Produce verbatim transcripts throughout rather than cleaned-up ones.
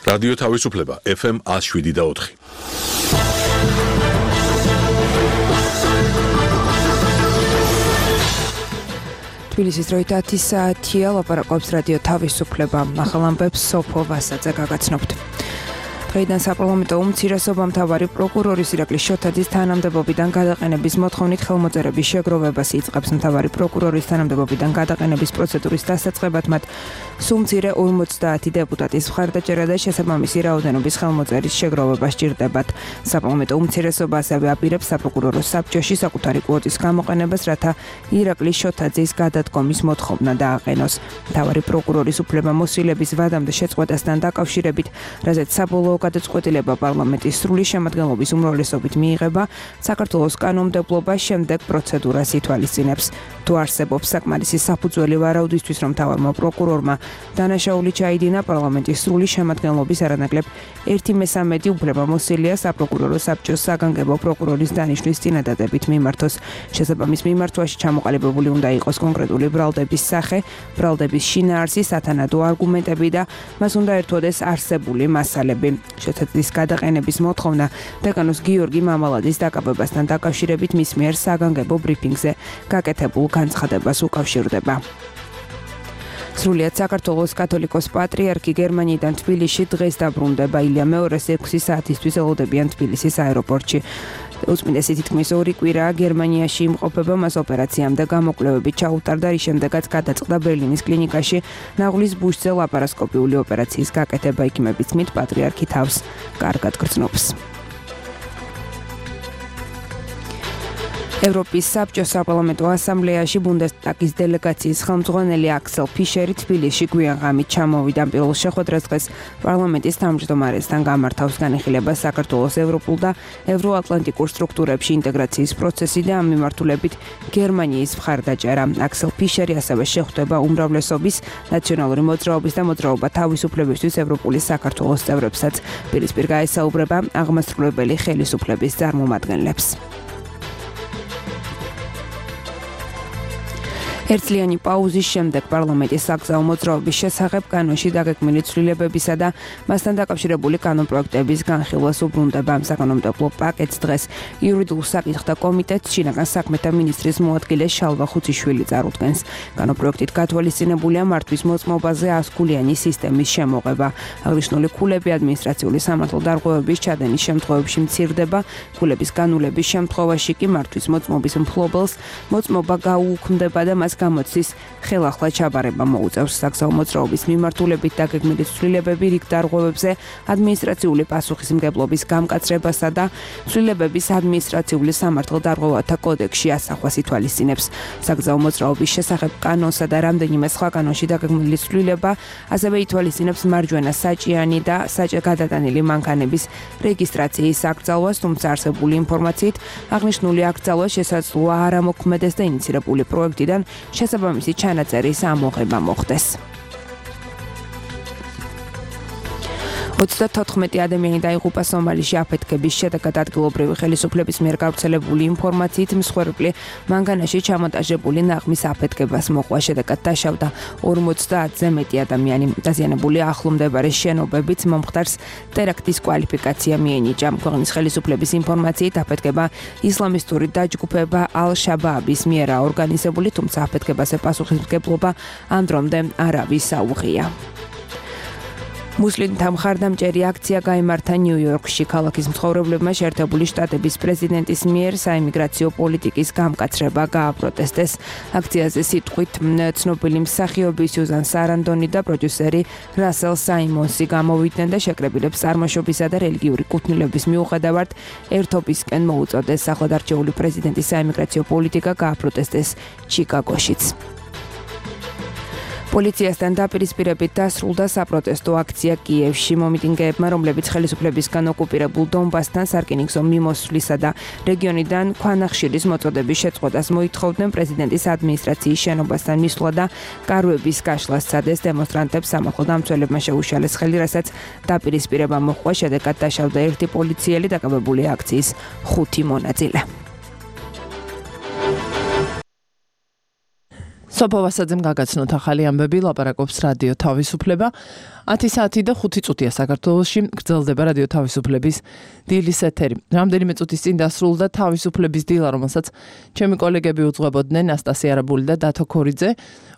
რადიო თავისუფლება ეფ ემ one oh seven და four. თბილისის დროით ათი საათია, ლაპარაკობს რადიო თავისუფლება. ახალ ამბებს სოფო ვასაძე გაგაცნობთ. დღეიდან საპარლამენტო უმცირესობა მთავარი პროკურორის ირაკლი შოთაძის თანამდებობიდან გადაყენების მოთხოვნით ხელმოწერების შეგროვებას იწყებს. მთავარი პროკურორის თანამდებობიდან გადაყენების პროცედურის დასაწყებად მათ სუმცირე ორმოცდაათი დეპუტატის მხარდაჭერა და შესაბამისი რაოდენობის ხელმოწერის შეგროვება სჭირდებათ. საპარლამენტო უმცირესობა ასევე აპირებს საპროკურორო საბჭოში საკუთარი კვოტის გამოყენებას, რათა ირაკლი შოთაძის გადადგომის მოთხოვნა დააყენოს. მთავარი პროკურორის უფლებამოსილების ვადამდე შეწყვეტასთან დაკავშირებით, რაზეც საბოლოო გადაწყვეტილება პარლამენტის სრული შემადგენლობის უმრავლესობით მიიღება, საქართველოს კანონმდებლობა შემდეგ პროცედურას ითვალისწინებს. თუ არსებობს საკმარისი საფუძველი ვარაუდისთვის, რომ მთავარმა პროკურორმა დანაშაული ჩაიდინა, პარლამენტის სრული შემადგენლობის არანაკლებ ერთი მესამედი უფლებამოსილია საპროკურორო საბჭოს საგანგებო პროკურორის დანიშვნის წინადადებით მიმართოს. შესაბამის მიმართვაში ჩამოყალიბებული უნდა იყოს კონკრეტული ბრალდების სახე, ბრალდების შინაარსი, სათანადო არგუმენტები და მას უნდა ერთვოდეს არსებული მასალები. შოთაძის გადაყენების მოთხოვნა დეკანოს გიორგი მამალაძის დაკავებასთან დაკავშირებით მის მიერ საგანგებო ბრიფინგზე გაკეთებულ განცხადებას უკავშირდება. სრულიად საქართველოს კათოლიკოს პატრიარქი გერმანიიდან თბილისში დღეს დაბრუნდება. ილია მეორეს ექვსი საათისთვის ელოდებიან თბილისის აეროპორტში. უწმინდესი თითქმის ორი კვირაა გერმანიაში იმყოფება, მას ოპერაციამდე გამოკვლევები ჩაუტარდა, რის შემდეგაც გადაწყდა ბერლინის კლინიკაში ნაღლის ბუშზე ლაპარასკოპიული ოპერაციის გაკეთება. იქიმების თქმით, პატრიარქი თავს კარგად გრძნობს. ევროპის საბჭოს საპარლამენტო ასამბლეაში ბუნდესტაგის დელეგაციის ხელმძღვანელი აქსელ ფიშერი თბილისში გვიან ღამით ჩამოვიდა. პირველ შეხვედრას დღეს პარლამენტის თავმჯდომარესთან გამართავს. განიხილება საქართველოს ევროპულ და ევროატლანტიკურ სტრუქტურებში ინტეგრაციის პროცესი და ამ მიმართულებით გერმანიის მხარდაჭერა. აქსელ ფიშერი ასევე შეხვდება უმრავლესობის, ნაციონალური მოძრაობის და მოძრაობა თავისუფლებისთვის ევროპული საქართველოს წევრებსაც. პირისპირ გაესაუბრება აღმასრულებელი ხელისუფლების წარმომადგენლებს. ერთწლიანი პაუზის შემდეგ პარლამენტის საგზაო მოძრაობის შესახებ კანონში დაგეგმილი ცვლილებებისა და მასთან დაკავშირებული კანონპროექტების განხილვას უბრუნდება. საკანონმდებლო პაკეტს დღეს იურიდიულ საკითხთა კომიტეტს შინაგან საქმეთა მინისტრის მოადგილე შალვა ხუციშვილი წარუდგენს. კანონპროექტით გათვალისწინებულია მართვის მოწმობაზე ასკულიანი სისტემის შემოღება. აღნიშნული ქულები ადმინისტრაციული სამართალდარღვევების ჩადენის შემთხვევებში მცირდება. ქულების განულების შემთხვევაში კი მართვის მოწმობის მფლობელს მოწმობა გაუუქმდება და მას გამოცდის ხელახლა ჩაბარება მოუწევს. საგზაო მოძრაობის მიმართულებით დაგეგმილი ცვლილებები რიგ დარღვევებზე ადმინისტრაციული პასუხისმგებლობის გამკაცრებასა და ცვლილებების ადმინისტრაციული სამართალდარღვევათა კოდექსში ასახვას ითვალისწინებს. საგზაო მოძრაობის შესახებ კანონსა და რამდენიმე სხვა კანონში დაგეგმილი ცვლილება ასევე ითვალისწინებს მარჯვენა საჭიანი და საჭე გადატანილი მანქანების რეგისტრაციის აკრძალვას, თუმცა არსებული ინფორმაციით აღნიშნული აკრძალვა შესაძლოა არ ამოქმედეს და ინიცირებული პროექტიდან შესაბამისი ჩანაწერის ამოღება მოხდეს. ოცდათოთხმეტი ადამიანი დაიღუპა სომალიში აფეთქების შედეგად. ადგილობრივი ხელისუფლების მიერ გავრცელებული ინფორმაციით მსხვერპლი მანგანაში ჩამონტაჟებული ნაღმის აფეთქებას მოყვა. შედეგად დაშავდა ორმოცდაათზე მეტი ადამიანი. დაზიანებული ახლო მდებარე შენობებით მომხდარს ტერაქტის კვალიფიკაცია მიენიჭა. ქვეყნის ხელისუფლების ინფორმაციით აფეთქება ისლამისტური დაჯგუფება ალ-შაბააბის მიერა ორგანიზებული, თუმცა აფეთქებაზე პასუხისმგებლობა ამ დრომდე არავის აუღია. მუსლიმთა მხარდამჭერი აქცია გაიმართა ნიუ-იორკში. ქალაქის მცხოვრებლებმა შეერთებული შტატების პრეზიდენტის მიერ საიმიგრაციო პოლიტიკის გამკაცრება გააპროტესტეს. აქციაზე სიტყვით ცნობილი მსახიობი სიუზან სარანდონი და პროდიუსერი რასელ საიმონსი გამოვიდნენ და შეკრებილებს წარმოშობისა და რელიგიური კუთვნილების მიუხედავად ერთობისკენ მოუწოდეს. ახლად არჩეული პრეზიდენტის საიმიგრაციო პოლიტიკა გააპროტესტეს ჩიკაგოშიც. პოლიციასთან დაპირისპირებით დასრულდა საპროტესტო აქცია კიევში. მომიტინგეებმა, რომლებიც ხელისუფლებისგან ოკუპირებულ დონბასთან სარკინიგზო მიმოსვლისა და რეგიონიდან ქვანახშირის მოწოდების შეწყვეტას მოითხოვდნენ, პრეზიდენტის ადმინისტრაციის შენობასთან მისვლა და კარვების გაშლას სცადეს. დემონსტრანტებს სამართალდამცველებმა შეუშალეს ხელი, რასაც დაპირისპირება მოჰყვა. შედეგად დაშავდა ერთი პოლიციელი, დაკავებული აქციის ხუთი მონაწილე. სოფო ვასაძემ გაგაცნოთ ახალი ამბები, ლაპარაკობს რადიო თავისუფლება. ათი საათი და ხუთი წუთია საქართველოში, გრძელდება რადიო თავისუფლების დილის ეთერი. რამდენიმე წუთის წინ დასრულდა თავისუფლების დილა, რომელსაც ჩემი კოლეგები უძღვებოდნენ, ნასტასია არაბული და დათო ქორიძე.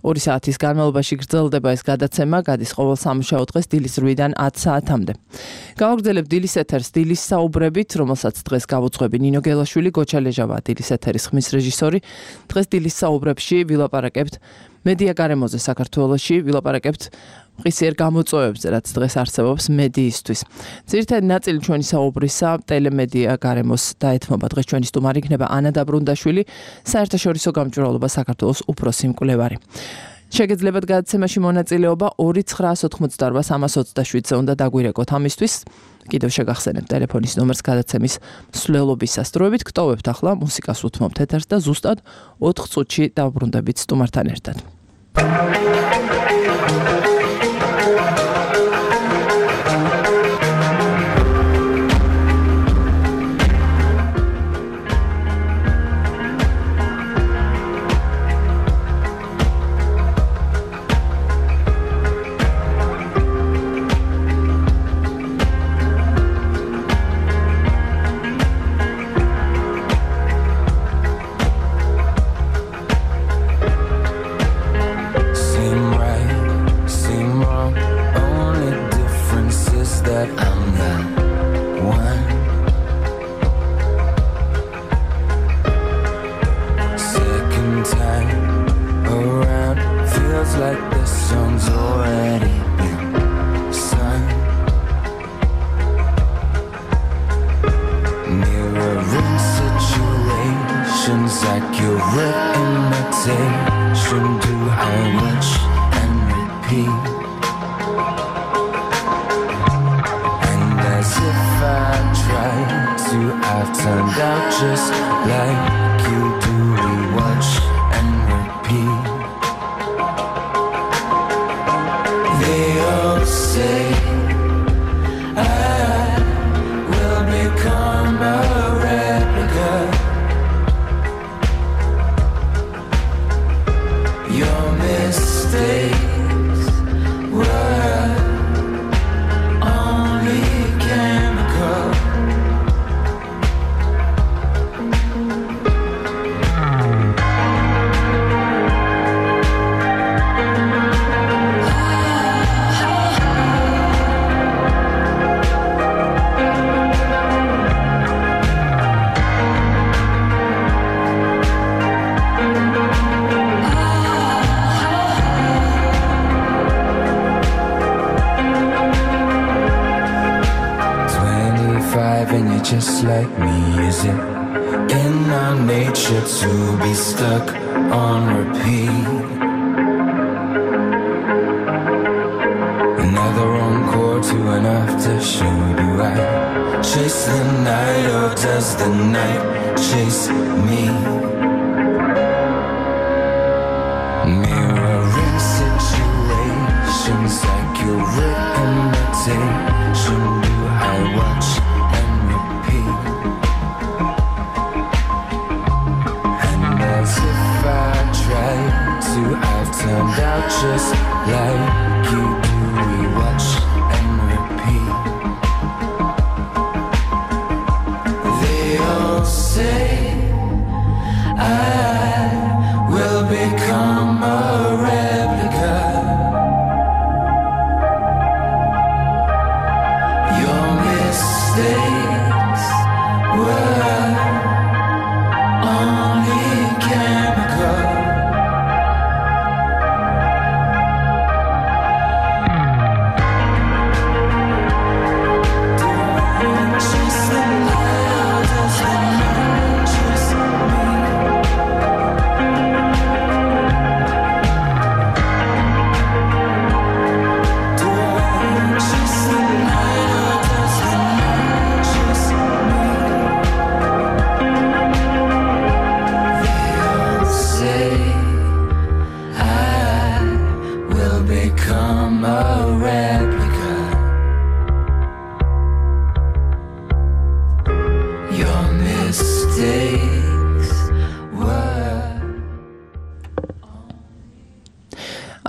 ორი საათის განმავლობაში გრძელდება ეს გადაცემა, გადის ყოველ სამუშაო დღეს დილის რვიდან ათ საათამდე. გავაგრძელებ დილის ეთერს დილის საუბრებით, რომელსაც დღეს გავუძღვები ნინო გელაშვილი, გოჩა ლეჟავა დილის ეთერის ხმის რეჟისორი. დღეს დილის საუბრებში ვილაპარაკებთ მედია გარემოზე საქართველოში, ვილაპარაკებთ მყისიერ გამოწვევებზე, რაც დღეს არსებობს მედიისთვის. ძირითადი ნაწილი ჩვენი საუბრისა ტელემედია გარემოს დაეთმობა. დღეს ჩვენი სტუმარი იქნება ანა დაბრუნდაშვილი, საერთაშორისო გამჭვირვალობა საქართველოს უფროსი მკვლევარი. შეგეძლებათ გადაცემაში მონაწილეობა ორი ცხრაას ოთხმოცდაორბა სამას ოცდაშვიდზე უნდა დაგვირეკოთ ამისთვის. კიდევ შეგახსენებთ ტელეფონის ნომერს გადაცემის მსვლელობის სასწროებით. გტოვებთ ახლა მუსიკას უთმობთ ეთერს და ზუსტად ოთხ წუთში დავბრუნდებით სტუმართან ერთად. Just like me, is it in our nature to be stuck on repeat? Another encore to an aftershow. Do I chase the night or does the night chase me? Mirroring situations like your imitation. Do I watch? I've turned out just like you do. We watch and repeat. They all say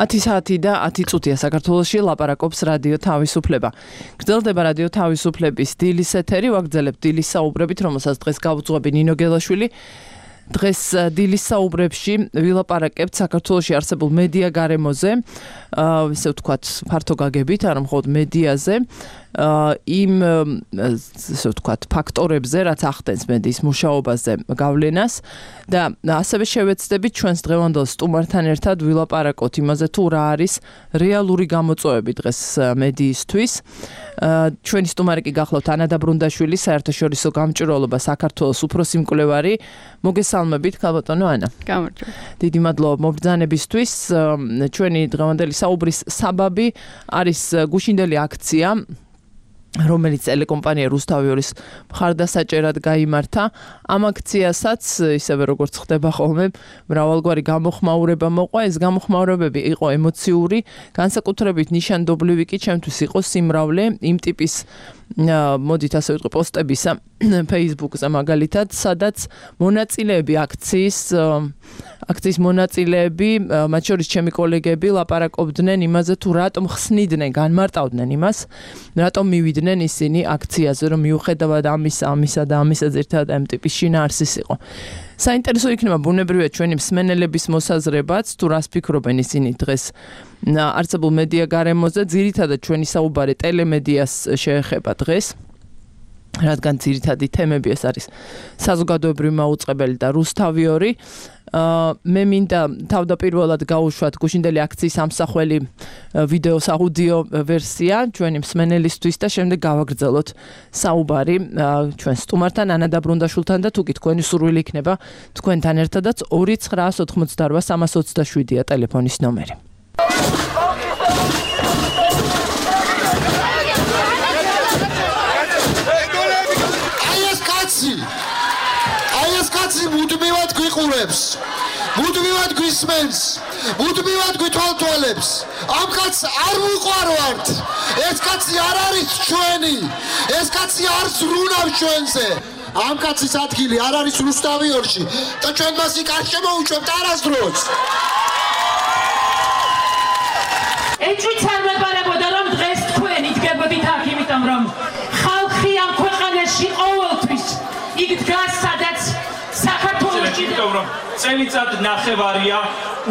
ათი საათი და ათი წუთია საქართველოში ლაპარაკობს რადიო თავისუფლება. გრძელდება რადიო თავისუფლების დილის ეთერი, ვაგრძელებთ დილის საუბრებით, რომელსაც დღეს გავუძღვები ნინო გელაშვილი. დღეს დილის საუბრებში ვილაპარაკებთ საქართველოში არსებულ მედია გარემოზე, ესე ვთქვათ, ფართო გაგებით, არა მხოლოდ მედიაზე, იმ ესე ვთქვათ, ფაქტორებზე, რაც ახდენს მედიის მუშაობაზე გავლენას და ასევე შევეცდებით ჩვენს დღევანდელ სტუმართან ერთად ვილაპარაკოთ იმაზე, თუ რა არის რეალური გამოწვევები დღეს მედიისთვის. ჩვენი სტუმარი კი გახლავთ ანა დაბრუნდაშვილი, საერთაშორისო გამჭვირვალობა საქართველოს უფროსი მკვლევარი. მოგესალმებით, ქალბატონო ანა. გამარჯობა. დიდი მადლობა მობრძანებისთვის. ჩვენი დღევანდელი საუბრის საბაბი არის გუშინდელი აქცია, რომელიც ტელეკომპანია რუსთავიორის მხარდასაჭერად გაიმართა. ამ აქციასაც, ისევე როგორც ხდება ხოლმე, მრავალგვარი გამოხმაურება მოყვა. ეს გამოხმაურებები იყო ემოციური, განსაკუთრებით ნიშანდობლივი კი ჩემთვის იყო სიმრავლე იმ ტიპის მოდით ასე ვიტყვი პოსტებისა Facebook-ზე მაგალითად, სადაც მონაწილეები აქციის აქციის მონაწილეები, მათ შორის ჩემი კოლეგები ლაპარაკობდნენ იმაზე, თუ რატომ ხსნიდნენ, განმარტავდნენ იმას, რატომ მივიდნენ ისინი აქციაზე, რომ მიუხედავად ამისა, ამისა და ამისა ზერთად ამ ტიპის შინაარსის იყო. საინტერესო იქნება ბუნებრივია ჩვენი მსმენელების მოსაზრებაც, თუ რას ფიქრობენ ისინი დღეს არსებულ მედია გარემოზე, ძირითადად ჩვენი საუბარი ტელემედიას შეეხება დღეს. რადგან ძირითადი თემები ეს არის საზოგადოებრივი მაუწყებელი და რუსთავიორი. მე მინდა თავდაპირველად გავუშვათ გუშინდელი აქციის ამსახველი ვიდეოს აუდიო ვერსია ჩვენი მსმენელისთვის და შემდეგ გავაგრძელოთ საუბარი ჩვენ სტუმართან ანა დაბრუნდაშვილთან და თუ კი თქვენი სურვილი იქნება თქვენთან ერთადაც ორი ცხრაას ოთხმოცდარვა სამას ოცდაშვიდია ტელეფონის ნომერი. აი ეს კაცი მუდმივად გვიყურებს, მუდმივად გვისმენს, მუდმივად გვითვალთვალებს. ამ კაცს არ ვუყვარვართ. ეს კაცი არ არის ჩვენი. ეს კაცი არ ზრუნავს ჩვენზე. ამ კაცის ადგილი არ არის რუსთავიორში და ჩვენ მას იქ არ შემოუჭვებთ არასდროს. ეჭვიც არ მეპარებოდა, რომ დღეს თქვენ იდგებოდით აქ, იმიტომ რომ ხალხი ამ ქვეყანაში ყოველთვის იქ დგას, სადაც საქართველოში რომ წელიწად ნახევარია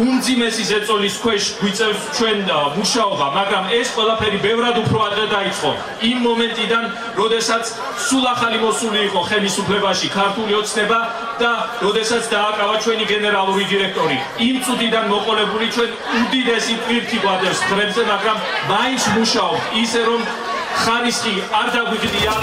უმძიმესი ზეწოლის ქვეშ გვიწევს ჩვენ მუშაობა, მაგრამ ეს ყველაფერი ბევრად უფრო ადრე დაიწყო. იმ მომენტიდან, როდესაც სულ ახალი მოსული იყო ხელისუფლებაში ქართული ოცნება და როდესაც დააკავა ჩვენი გენერალური დირექტორი. იმ წუთიდან მოყოლებული ჩვენ უდიდესი ტვირთი გვადევს ხრებზე, მაგრამ მაინც მუშაობთ ისე რომ ხარისხი არ დაგვიგდია.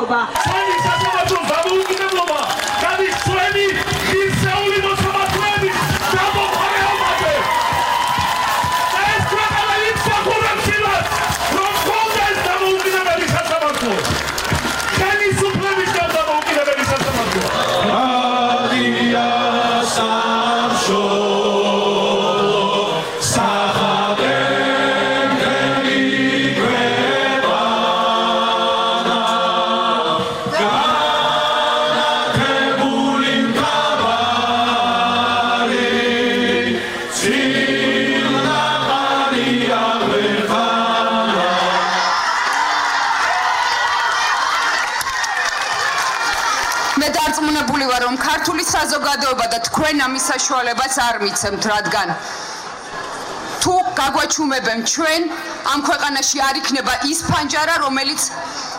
ჩვენი საზოგადო დამოუკიდებლობა გადის ჩვენი ღირსეული მოსამართლეების გამოყენებაზე. ეს ქვეყანა იმსახურებს იმას, რომ გქონდეს დამოუკიდებელი სასამართლო. ხელისუფლების დამოუკიდებელი სასამართლო. რადია სამშობლო საზოგადოება და თქვენ ამის საშუალებას არ მიცემთ, რადგან თუ გაგვაჩუმებენ ჩვენ ამ ქვეყანაში არ იქნება ის ფანჯარა, რომელიც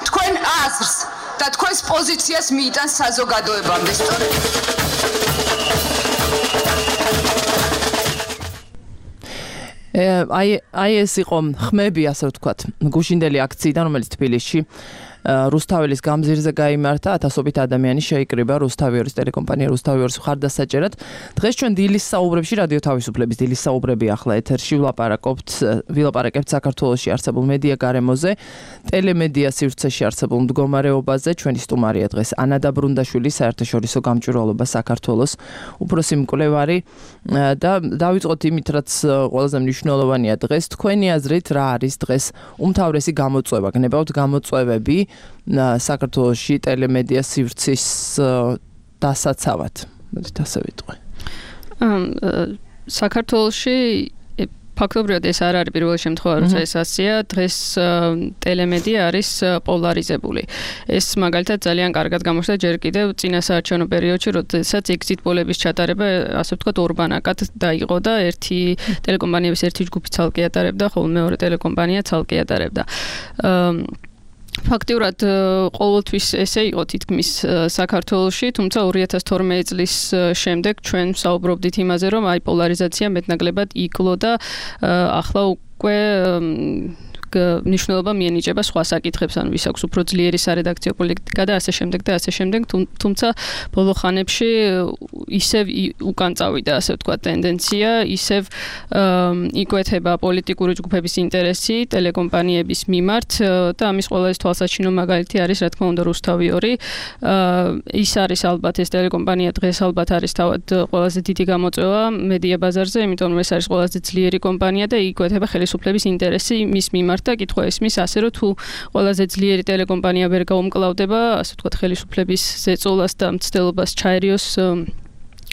თქვენ აზრს და თქვენს პოზიციას მიიტანს საზოგადოებამდე. აი აი ეს იყო ხმები, ასე ვთქვათ, გუშინდელი აქციიდან, რომელიც თბილისში რუსთაველის გამზირზე გაიმართა, ათასობით ადამიანი შეიკრიბა რუსთავიორის ტელეკომპანია რუსთავიორის მხარდასაჭერად. დღეს ჩვენ დილის საუბრებში რადიო თავისუფლების დილის საუბრები ახლა ეთერში ვლაპარაკობთ ვილაპარაკებთ საქართველოში არსებულ მედია გარემოზე, ტელემედია სივრცეში არსებულ მდგომარეობაზე. ჩვენი სტუმარია დღეს ანა დაბრუნდაშვილი, საერთაშორისო გამჭვირვალობა საქართველოს უფროსი მკვლევარი და დავიწყოთ იმით, რაც ყველაზე მნიშვნელოვანია დღეს. თქვენი აზრით რა არის დღეს უმთავრესი გამოწვევა? გნებავთ გამოწვევები საქართველოში ტელემედია სივრცის დასაცავად? მოდით ასე ვიტყვი. საქართველოში ფაქტობრივად ეს არ არის პირველი შემთხვევა, როცა ეს ასეა. დღეს ტელემედია არის პოლარიზებული. ეს მაგალითად ძალიან კარგად გამოჩნდა ჯერ კიდევ წინა საარჩევნო პერიოდში, როდესაც exit poll-ების ჩატარება, ასე ვთქვათ, ორბანაკად დაიყო და ერთი ტელეკომპანიების ერთი ჯგუფი ცალკე ატარებდა, ხოლო მეორე ტელეკომპანია ცალკე ატარებდა. ფაქტიურად ყოველთვის ესე იყო თითქმის საქართველოში, თუმცა ორი ათას თორმეტი წლის შემდეგ ჩვენ ვსაუბრობდით იმაზე, რომ აი პოლარიზაცია მეტნაკლებად იკლო და ახლა უკვე მნიშვნელობა მიენიჭება სხვა საკითხებს, ანუ ვის აქვს უფრო ძლიერი სარედაქციო პოლიტიკა და ასე შემდეგ და ასე შემდეგ, თუმცა ბოლო ხანებში ისევ უკან წავიდა, ასე ვთქვათ, ტენდენცია, ისევ იკვეთება პოლიტიკური ჯგუფების ინტერესი ტელეკომპანიების მიმართ და ამის ყველაზე თვალსაჩინო მაგალითი არის, რა თქმა უნდა, რუსთავიორი. ის არის ალბათ ეს ტელეკომპანია დღეს ალბათ არის თავად ყველაზე დიდი გამოწვევა მედია ბაზარზე, იმიტომ რომ ეს არის ყველაზე ძლიერი კომპანია და იკვეთება ხელისუფლების ინტერესი მის მიმართ. და კითხვა ისმის ასე, რომ თუ ყველაზე ძლიერი ტელეკომპანია ვერ გაუმკლავდება, ასე ვთქვათ, ხელისუფლების ზეწოლას და მცდელობას ჩაერიოს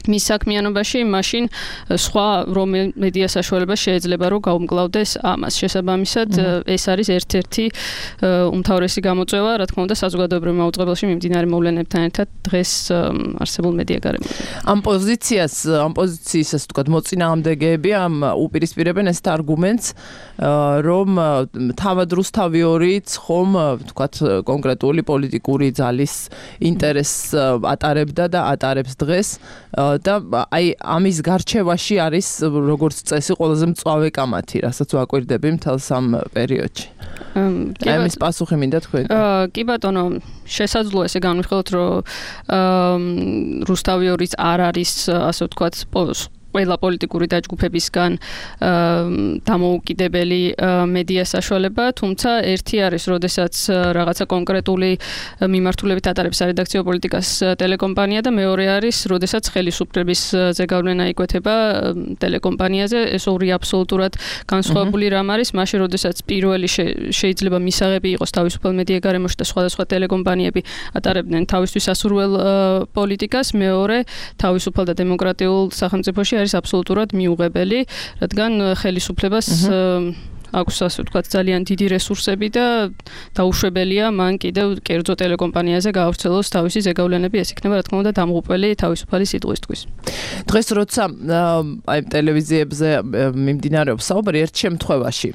მის საქმიანობაში, მაშინ სხვა რომელ მედია საშუალება შეიძლება რომ გაუმკლავდეს ამას. შესაბამისად, ეს არის ერთ-ერთი უმთავრესი გამოწვევა, რა თქმა უნდა, საზოგადოებრივ მაუწყებელში მიმდინარე მოვლენებთან ერთად დღეს არსებულ მედია გარემოზე. ამ პოზიციას, ამ პოზიციის, ასე ვთქვათ, მოწინააღმდეგეები ამ უპირისპირებენ ეს არგუმენტს, რომ თავად რუსთავიორიც ხომ, ვთქვათ, კონკრეტული პოლიტიკური ძალის ინტერესს ატარებდა და ატარებს დღეს. და აი ამის გარჩევაში არის როგორც წესი ყველაზე მწვავე კამათი, რასაც ვაკვირდები მთელს ამ პერიოდში. აი ამის პასუხი მინდა თქვენ. კი ბატონო, შესაძლოა ესე განვიხილოთ, რომ რუსთავიორიც არ არის, ასე ვთქვათ, ყველა პოლიტიკური დაჯგუფებისგან დამოუკიდებელი მედია საშუალება, თუმცა ერთი არის, როდესაც რაღაცა კონკრეტული მიმართულებით ატარებს სარედაქციო პოლიტიკას ტელეკომპანია და მეორე არის, როდესაც ხელისუფლების ზეგავლენა იკვეთება ტელეკომპანიაზე. ეს ორი აბსოლუტურად განსხვავებული რამ არის, მაშინ როდესაც პირველი შეიძლება მისაღები იყოს თავისუფალ მედია გარემოში და სხვადასხვა ტელეკომპანიები ატარებდნენ თავისთვის ასურველ პოლიტიკას, მეორე თავისუფალ და დემოკრატიულ სახელმწიფოში არის აბსოლუტურად მიუღებელი, რადგან ხელისუფლებას აქვს, ასე ვთქვათ, ძალიან დიდი რესურსები და დაუშვებელია მან კიდევ კერძო ტელეკომპანიაზე გაავრცელოს თავისი ზეგავლენები, ეს იქნება, რა თქმა უნდა, დამღუპველი თავისუფალი სიტყვისთვის. დღეს როცა აი ტელევიზიებზე მიმდინარეობს საუბარი, ერთ შემთხვევაში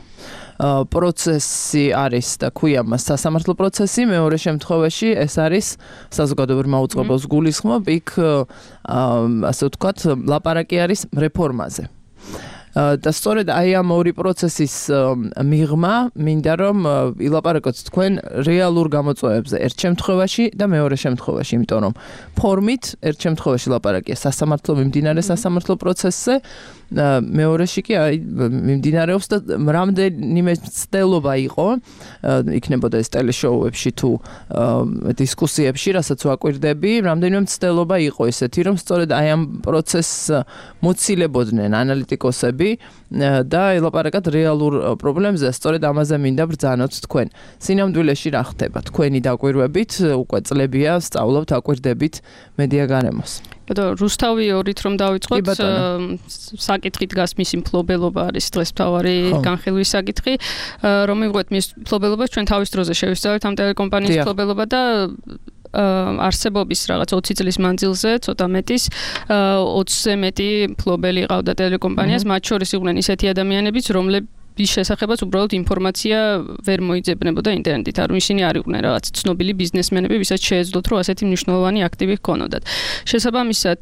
პროცესი არის და ქვია მას სასამართლო პროცესი, მეორე შემთხვევაში ეს არის საზოგადოებრივ მაუწყებელს გულისხმობ, იქ ასე ვთქვათ, ლაპარაკი არის რეფორმაზე. და სწორედ აი ამ ორი პროცესის მიღმა მინდა რომ ილაპარაკოთ თქვენ რეალურ გამოწვევებზე ერთ შემთხვევაში და მეორე შემთხვევაში, იმიტომ რომ ფორმით ერთ შემთხვევაში ლაპარაკია სასამართლო მიმდინარე სასამართლო პროცესზე, მეორეში კი აი მიმდინარეობს და რამდენიმე ცდელობა იყო, იქნებოდა ეს ტელეშოუებში თუ დისკუსიებში, რასაც ვაკვირდები, რამდენიმე ცდელობა იყო ესეთი, რომ სწორედ აი ამ პროცესს მოცილებოდნენ ანალიტიკოსები და ელაპარაკათ რეალურ პრობლემებზე, სწორედ ამაზე მინდა ბრძანოთ თქვენ. სინამდვილეში რა ხდება? თქვენი დაკვირვებით, უკვე წლებია სწავლობთ, აკვირდებით მედია გარემოს. ბატონო, რუსთავიორით რომ დავიწყოთ, საკითხი დგას მისი მფლობელობა არის დღეს მთავარი განხილვის საკითხი, რომ მივყვეთ მის მფლობელობას, ჩვენ თავის დროზე შევისწავლეთ ამ ტელეკომპანიის მფლობელობა და არსებობის რაღაც ოცი წლის მანძილზე, ცოტა მეტის, ოცზე მეტი მფლობელი ყავდა ტელეკომპანიას, მათ შორის იყვნენ ისეთი ადამიანებიც, რომლებიც ის შესახებაც უბრალოდ ინფორმაცია ვერ მოიძებნებოდა ინტერნეტით. არ ისინი არ იყვნენ რაღაც ცნობილი ბიზნესმენები, ვისაც შეეძლოთ, რომ ასეთი მნიშვნელოვანი აქტივი ჰქონოდათ. შესაბამისად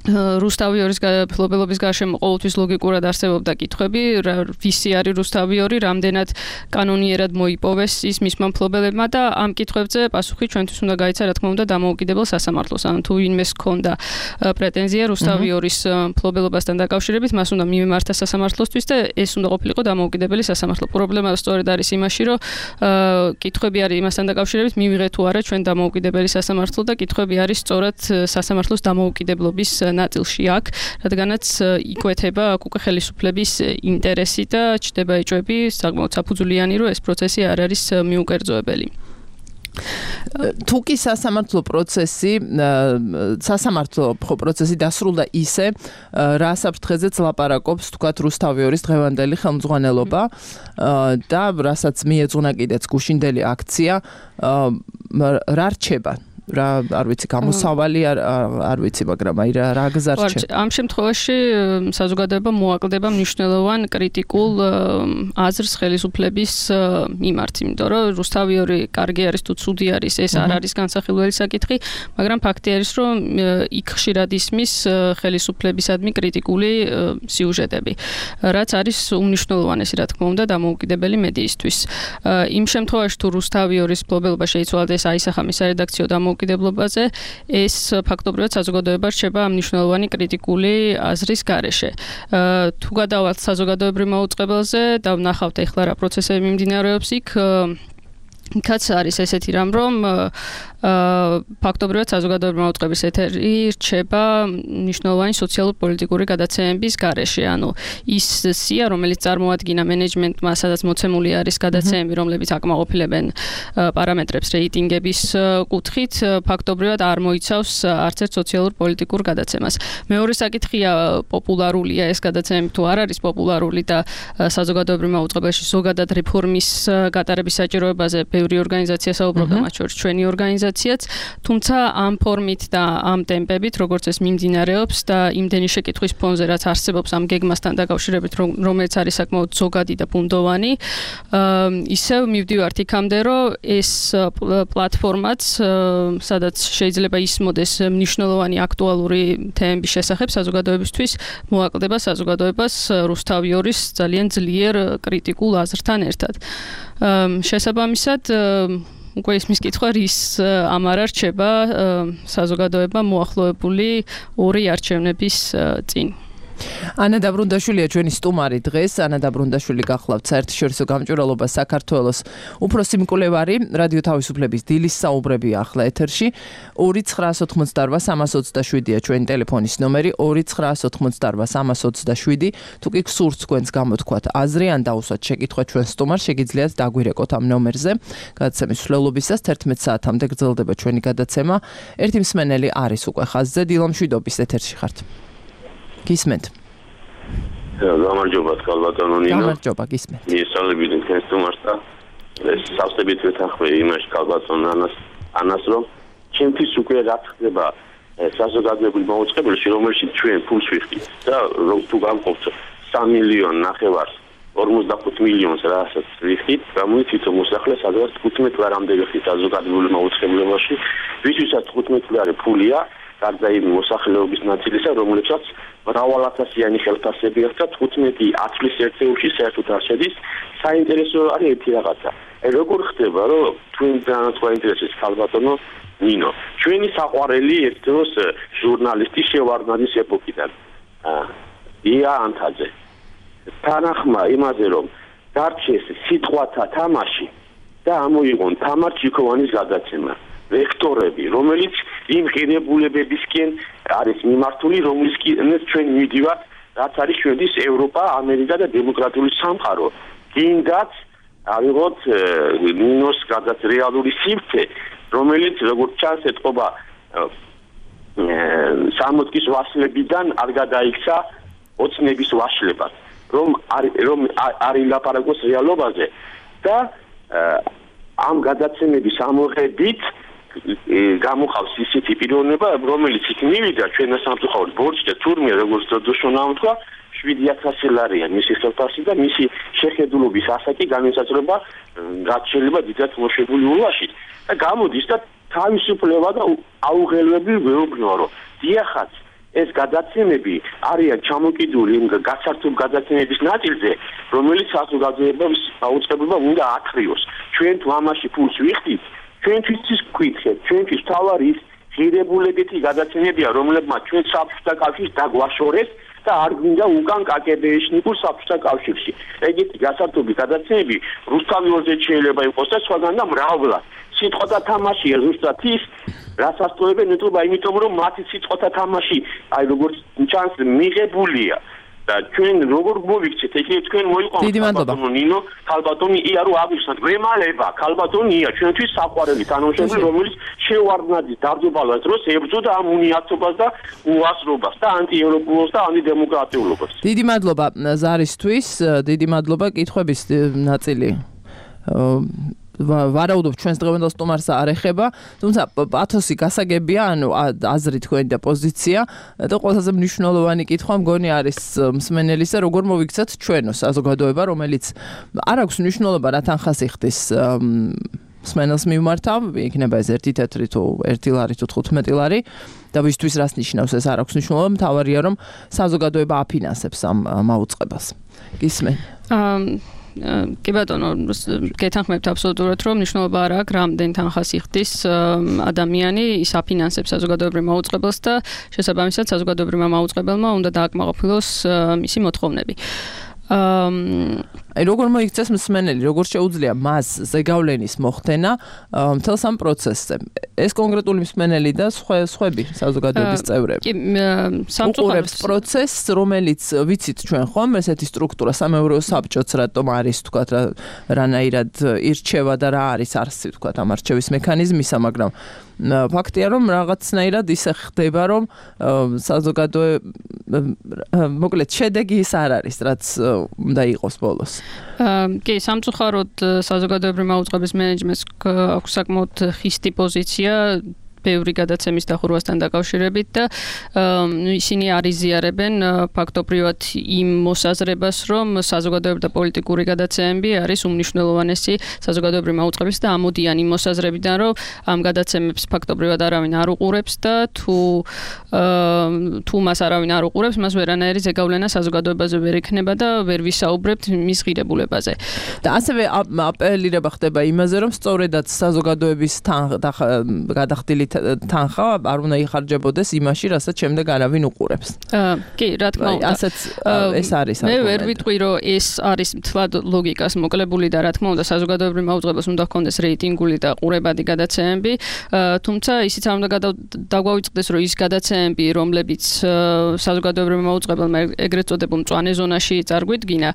რუსთავიორის ფლობელობის გარშემო ყოველთვის ლოგიკურად არსებობდა კითხვები, ვისი არის რუსთავიორი, რამდენად კანონიერად მოიპოვეს ის მისმა მფლობელებმა და ამ კითხვებზე პასუხი ჩვენთვის უნდა გაიცა, რა თქმა უნდა, დამოუკიდებელ სასამართლოს. ანუ თუ ვინმეს ჰქონდა პრეტენზია რუსთავიორის მფლობელობასთან დაკავშირებით, მას უნდა მიმართა სასამართლოსთვის და ეს უნდა ყოფილიყო დამოუკიდებელი სასამართლო. პრობლემა სწორედ არის იმაში, რომ კითხვები არის იმასთან დაკავშირებით, მივიღეთ თუ არა ჩვენ დამოუკიდებელი სასამართლო და კითხვები არის სწორად სასამართლოს დამოუკიდებლობის ნაწილში აქ, რადგანაც იკვეთება აქ უკვე ხელისუფლების ინტერესი და ჩდება ეჭვები საკმაოდ საფუძვლიანი, რომ ეს პროცესი არ არის მიუკერძოებელი. თუ კი სასამართლო პროცესი სასამართლო პროცესი დასრულდა ისე, რა საფრთხეზეც ლაპარაკობს თქვათ რუსთავიორის დღევანდელი ხელმძღვანელობა და რასაც მიეძღვნა კიდეც გუშინდელი აქცია, რა რჩება? რა არ ვიცი გამოსავალი არ არ ვიცი მაგრამ აი რა რა გზარჩა ამ შემთხვევაში საზოგადოება მოაკლდება მნიშვნელოვან კრიტიკულ აზრს ხელისუფლების მიმართ, იმიტომ რომ რუსთავიორი კარგი არის თუ ცუდი არის, ეს არ არის განსახილველი საკითხი, მაგრამ ფაქტი არის, რომ იქ ხშირად ისმის ხელისუფლებისადმი კრიტიკული სიუჟეტები, რაც არის უმნიშვნელოვანესი, რა თქმა უნდა, დამოუკიდებელი მედიისთვის. იმ შემთხვევაში თუ რუსთავიორის მფლობელობა შეიცვალა და ეს აისახა მის სარედაქციო დამოუკიდებლობაზე, ეს ფაქტობრივად საზოგადოება რჩება მნიშვნელოვანი კრიტიკული აზრის გარეშე. თუ გადავალთ საზოგადოებრივ მაუწყებელზე და ვნახავთ ეხლა რა პროცესები მიმდინარეობს იქ, იქაც არის ესეთი რამ, რომ ფაქტობრივად საზოგადოებრივი მაუწყებლის ეთერი რჩება მნიშვნელოვანი სოციალურ-პოლიტიკური გადაცემების გარეშე. ანუ ის სია, რომელიც წარმოადგინა მენეჯმენტმა, სადაც მოცემული არის გადაცემები, რომლებიც აკმაყოფილებენ პარამეტრებს რეიტინგების კუთხით, ფაქტობრივად არ მოიცავს არც ერთ სოციალურ-პოლიტიკურ გადაცემას. მეორე საკითხია, პოპულარულია ეს გადაცემები თუ არ არის პოპულარული და საზოგადოებრივ მაუწყებელში ზოგადად რეფორმის გატარების საჭიროებაზე ბევრი ორგანიზაცია საუბრობდა, მათ შორის ჩვენი ორგანიზაცია. თუმცა ამ ფორმით და ამ ტემპებით, როგორც ეს მიმდინარეობს და იმდენი შეკითხვის ფონზე, რაც არსებობს ამ გეგმასთან დაკავშირებით, რომელიც არის საკმაოდ ზოგადი და ბუნდოვანი, ისევ მივდივართ იქამდე, რომ ეს პლატფორმაც, სადაც შეიძლება ისმოდეს მნიშვნელოვანი აქტუალური თემების შესახებ საზოგადოებისთვის, მოაკლდება საზოგადოებას რუსთავიორის ძალიან ძლიერ კრიტიკულ აზრთან ერთად. შესაბამისად, უკვე ისმის კითხვა რის ამ არ რჩება საზოგადოება მოახლოებული ორი არჩევნების წინ. ანა დაბრუნდაშვილია ჩვენი სტუმარი დღეს. ანა დაბრუნდაშვილი გახლავთ საერთაშორისო გამჭვირვალობა საქართველოს უფროსი მკვლევარი, რადიო თავისუფლების დილის საუბრები ახლა ეთერში. ორი ცხრაას ოთხმოცდაორვა სამას ოცდაშვიდია ჩვენი ტელეფონის ნომერი, ორი ცხრაას ოთხმოცდაორვა სამას ოცდაშვიდი. თუ კი გსურთ თქვენს გამოთქვათ აზრი ან დაუსვათ შეკითხვა ჩვენ სტუმარს, შეგიძლიათ დაგვირეკოთ ამ ნომერზე. გადაცემის მსვლელობისას თერთმეტ საათამდე გრძელდება ჩვენი გადაცემა. ერთი მსმენელი არის უკვე ხაზზე. დილამშვიდობის ეთერში ხართ. გისმენთ. გამარჯობა კალბატონო ნინო. გამარჯობა, გისმენთ. მიესალმებით თქვენს სტუმარს და ეს სავსებით ვეთანხმე იმაში კალბატონ ანას ანას რომ ჩემთვის უკვე რა ხდება საზოგადოებრივ მაუწყებელში, რომელშიც ჩვენ ფულს ვიხდით და თუ გამყოფთ სამი მილიონი ნახევარს ორმოცდახუთ მილიონს რასაც ვიხდით, გამოიწვიეთ მოსახლე სადღაც თხუთმეტ ლარამდე ვიხდით საზოგადოებრივ მაუწყებლებაში, ვისთვისაც თხუთმეტ ლარი ფულია, გარდა იმ მოსახლეობის ნაწილისა, რომლებსაც მრავალათასიანი ხელფასები აქვს და თხუთმეტი ათვლის ერთეულში საერთოდ არ შედის. საინტერესო არის ერთი რაღაცა. როგორ ხდება, რომ თქვენთან გვაინტერესებს კალბატონო ნინო. ჩვენი საყვარელი ერთ დროს ჟურნალისტი შევარდნაძის ეპოქიდან. ია ანთაძე. თანახმა იმაზე, რომ დარჩეს სიტყვათა თამაში და ამოიღონ თამარ ჩიქოვანის გადაცემა. ვექტორები, რომელიც იმ ღირებულებებისკენ არის მიმართული, რომლისკენაც ჩვენ მივდივართ, რაც არის ჩვენთვის ევროპა, ამერიკა და დემოკრატიული სამყარო. გინდათ ავიღოთ ნინოს გადაც რეალური სივრცე, რომელიც როგორც ჩანს ეთყობა სამოწკის ვაშლებიდან არ გადაიქცა ოცნების ვაშლებად, რომ რომ არ ილაპარაკოს რეალობაზე და ამ გადაცემების ამოღებით გამოხავს ისეთი პიროვნება, რომელიც იქ მივიდა ჩვენ სამწუხაროდ ბორჭდა თურმე როგორც დოდოშონა თქვა შვიდი ათასი ლარია მისი ხელფასი და მისი შეხედულობის ასაკი განისაზღვრება რაც შეიძლება დიდად მოშებული ულაში და გამოდის და თავისუფლება და აუღელვები ვეუბნოა რომ დიახაც ეს გადაცემები არიან ჩამოკიდული იმ გასართობ გადაცემების ნაწილზე, რომელიც საზოგადოებას აუწყებობა უნდა ათრიოს. ჩვენ თუ ამაში ფულს ვიხდით, ჩვენთვის გკითხეთ, ჩვენთვის თავარი ის ღირებულებითი გადაცემებია, რომლებმაც ჩვენ საბჭოთა კავშირს დაგვაშორეს და არ გვინდა უკან კაკებეიშნიკურ საბჭოთა კავშირში. ეგეთი გასართობი გადაცემები რუსთავიორზე შეიძლება იყოს და სხვაგან და მრავლად. სიტყვათა თამაშია ზუსტად ის, რაც ასწორებენ ნეტობა, იმიტომ რომ მათი სიტყვათა თამაში, აი როგორც ჩანს, მიღებულია. და ჩვენ როგორ მოვიქცეთ, ეგ თქვენ მოიყვანოთ ქალბატონო ნინო, ქალბატონი ია რო აგვიხსნათ, ვემალება, ქალბატონია ჩვენთვის საყვარელი თანამშრომელი, რომელიც შევარდნაძის დაბრძოლებას დროს ებრძოდა ამ უნიათობას და უასრობას და ანტიევროპულობას და ანტიდემოკრატიულობას. დიდი მადლობა ზარისთვის, დიდი მადლობა კითხვების ნაწილი. ვარაუდობ ჩვენს დღევანდელ სტუმარს არ ეხება, თუმცა პათოსი გასაგებია, ანუ აზრი თქვენი და პოზიცია და ყველაზე მნიშვნელოვანი კითხვა მგონი არის მსმენელისა, როგორ მოვიქცეთ ჩვენო საზოგადოება, რომელიც არ აქვს მნიშვნელობა რა თანხას იხდის მსმენელს მიმართავ, იქნება ეს ერთი თეთრი თუ ერთი ლარი თუ თხუთმეტი ლარი და ვისთვის რას ნიშნავს ეს არ აქვს მნიშვნელობა, მთავარია რომ საზოგადოება აფინანსებს ამ მაუწყებელს. გისმენ? კი ბატონო, გეთანხმებთ აბსოლუტურად, რომ მნიშვნელობა არ აქვს რამდენ თანხას იხდის ადამიანი, ის აფინანსებს საზოგადოებრივ მაუწყებელს და შესაბამისად საზოგადოებრივმა მაუწყებელმა უნდა დააკმაყოფილოს მისი მოთხოვნები. აი როგორ მოიქცეს მსმენელი, როგორ შეუძლია მას ზეგავლენის მოხდენა მთელს ამ პროცესზე. ეს კონკრეტული მსმენელი და სხვები საზოგადოების წევრები. კი, სამწუხაროდ პროცესს, რომელიც ვიცით ჩვენ ხომ, ესეთი სტრუქტურა სამეურვეო საბჭოც რატომ არის, თქვათ, რანაირად ირჩევა და რა არის არსი, თქვათ, ამ არჩევის მექანიზმისა, მაგრამ ფაქტია, რომ რაღაცნაირად ისე ხდება, რომ საზოგადოება, მოკლედ, შედეგი ის არ არის, რაც უნდა იყოს ბოლოს. კი, სამწუხაროდ საზოგადოებრივი მაუწყებლის მენეჯმენტს აქვს საკმაოდ ხისტი პოზიცია ბევრი გადაცემის დახურვასთან დაკავშირებით და ისინი არიზიარებენ ფაქტობრივად იმ მოსაზრებას, რომ საზოგადოებრივი და პოლიტიკური გადაცემები არის უმნიშვნელოვანესი საზოგადოებრივი მაუწყებლის და ამოდიან იმ მოსაზრებიდან, რომ ამ გადაცემებს ფაქტობრივად არავინ არ უყურებს და თუ თუ მას არავინ არ უყურებს, მას ვერანაირი ზეგავლენა საზოგადოებაზე ვერ ექნება და ვერ ვისაუბრებთ მის ღირებულებაზე. და ასევე აპელირება ხდება იმაზე, რომ სწორედაც საზოგადოების გადახდილი თანხა არ უნდა იხარჯებოდეს იმაში, რასაც შემდეგ არავინ უყურებს. კი, რა თქმა უნდა. ასეც ეს არის. მე ვერ ვიტყვი, რომ ეს არის მთლად ლოგიკას მოკლებული და რა თქმა უნდა საზოგადოებრივ მაუწყებელს უნდა ჰქონდეს რეიტინგული და ყურებადი გადაცემები, თუმცა ისიც არ უნდა დაგვავიწყდეს, რომ ის გადაცემები, რომლებიც საზოგადოებრივ მაუწყებელმა ეგრეთ წოდებულ მწვანე ზონაში წარგვიდგინა,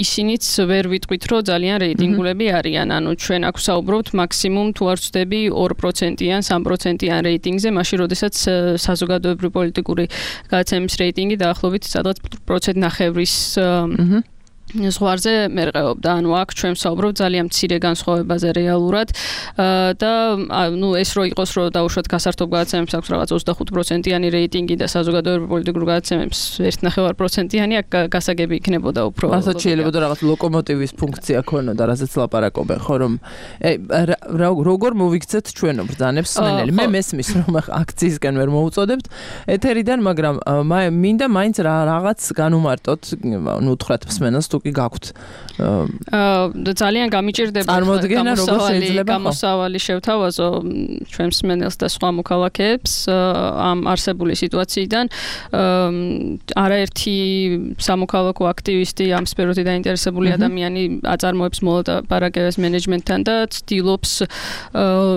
ისინიც ვერ ვიტყვით, რომ ძალიან რეიტინგულები არიან. ანუ ჩვენ აქ ვსაუბრობთ მაქსიმუმ თუ არ ვცდები ორ პროცენტიან, სამ პროცენტიან რეიტინგზე, მაშინ როდესაც საზოგადოებრივი პოლიტიკური გადაცემის რეიტინგი დაახლოებით სადღაც პროცენტ ნახევრის ზღვარზე მერყეობდა. ანუ აქ ჩვენ ვსაუბრობთ ძალიან მცირე განსხვავებაზე რეალურად და ნუ ეს რო იყოს, რომ დაუშვათ გასართობ გადაცემებს აქვს რაღაც ოცდახუთ პროცენტიანი რეიტინგი და საზოგადოებრივი პოლიტიკური გადაცემებს ერთ ნახევარ პროცენტიანი, აქ გასაგები იქნებოდა უფრო. რასაც შეიძლება რაღაც ლოკომოტივის ფუნქცია ქონოდა, რასაც ლაპარაკობენ, ხო რომ როგორ მოვიქცეთ ჩვენო ბრძანებს მსმენელი. მე მესმის რომ აქციისგან ვერ მოუწოდებთ ეთერიდან, მაგრამ მინდა მაინც რაღაც განუმარტოთ, ნუ უთხრათ მსმენელს კი გაქვთ. აა ძალიან გამიჭირდება წარმოდგენა როგორ შეიძლება გამოსავალი შევთავაზო ჩვენ მსმენელს და სხვა მოქალაქეებს ამ არსებული სიტუაციიდან. არაერთი სამოქალაქო აქტივისტი, ამ სფეროთი დაინტერესებული ადამიანი აწარმოებს მოლაპარაკებებს მენეჯმენტთან და ცდილობს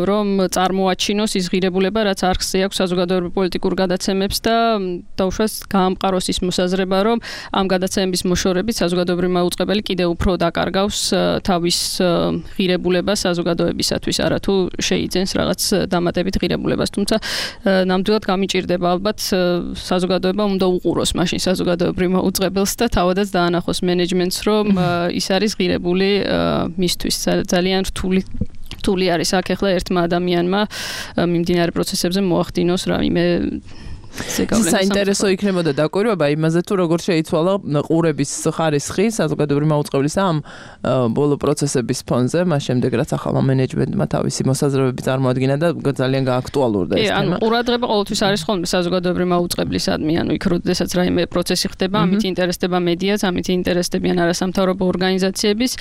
რომ წარმოაჩინოს ის ღირებულება, რაც არხზე აქვს საზოგადოებრივ პოლიტიკურ გადაცემებს და დაუშვათ გაამყაროს ის მოსაზრება, რომ ამ გადაცემების მოშორებით საზოგადოებრივი მაუწყებელი კიდევ უფრო დაკარგავს თავის ღირებულებას საზოგადოებისათვის, არა თუ შეიძენს რაღაც დამატებით ღირებულებას. თუმცა ნამდვილად გამიჭირდება ალბათ საზოგადოება უნდა უყუროს მაშინ საზოგადოებრივ მაუწყებელს და თავადაც დაანახოს მენეჯმენტს, რომ ის არის ღირებული მისთვის. ძალიან რთული რთული არის აქ ახლა ერთმა ადამიანმა მიმდინარე პროცესებზე მოახდინოს რაიმე საინტერესო იქნებოდა დაკვირვება იმაზე თუ როგორ შეიცვალა ყურების ხარისხი საზოგადოებრივი მაუწყებლისა ამ ბოლო პროცესების ფონზე, მას შემდეგ რაც ახალმა მენეჯმენტმა თავისი მოსაზრებები წარმოადგინა და ძალიან გააქტუალურდა ეს თემა. ანუ ყურადღება ყოველთვის არის ხოლმე საზოგადოებრივი მაუწყებლისადმი, ანუ იქ როდესაც რაიმე პროცესი ხდება, ამით ინტერესდება მედიაც, ამით ინტერესდებიან არასამთავრობო ორგანიზაციების,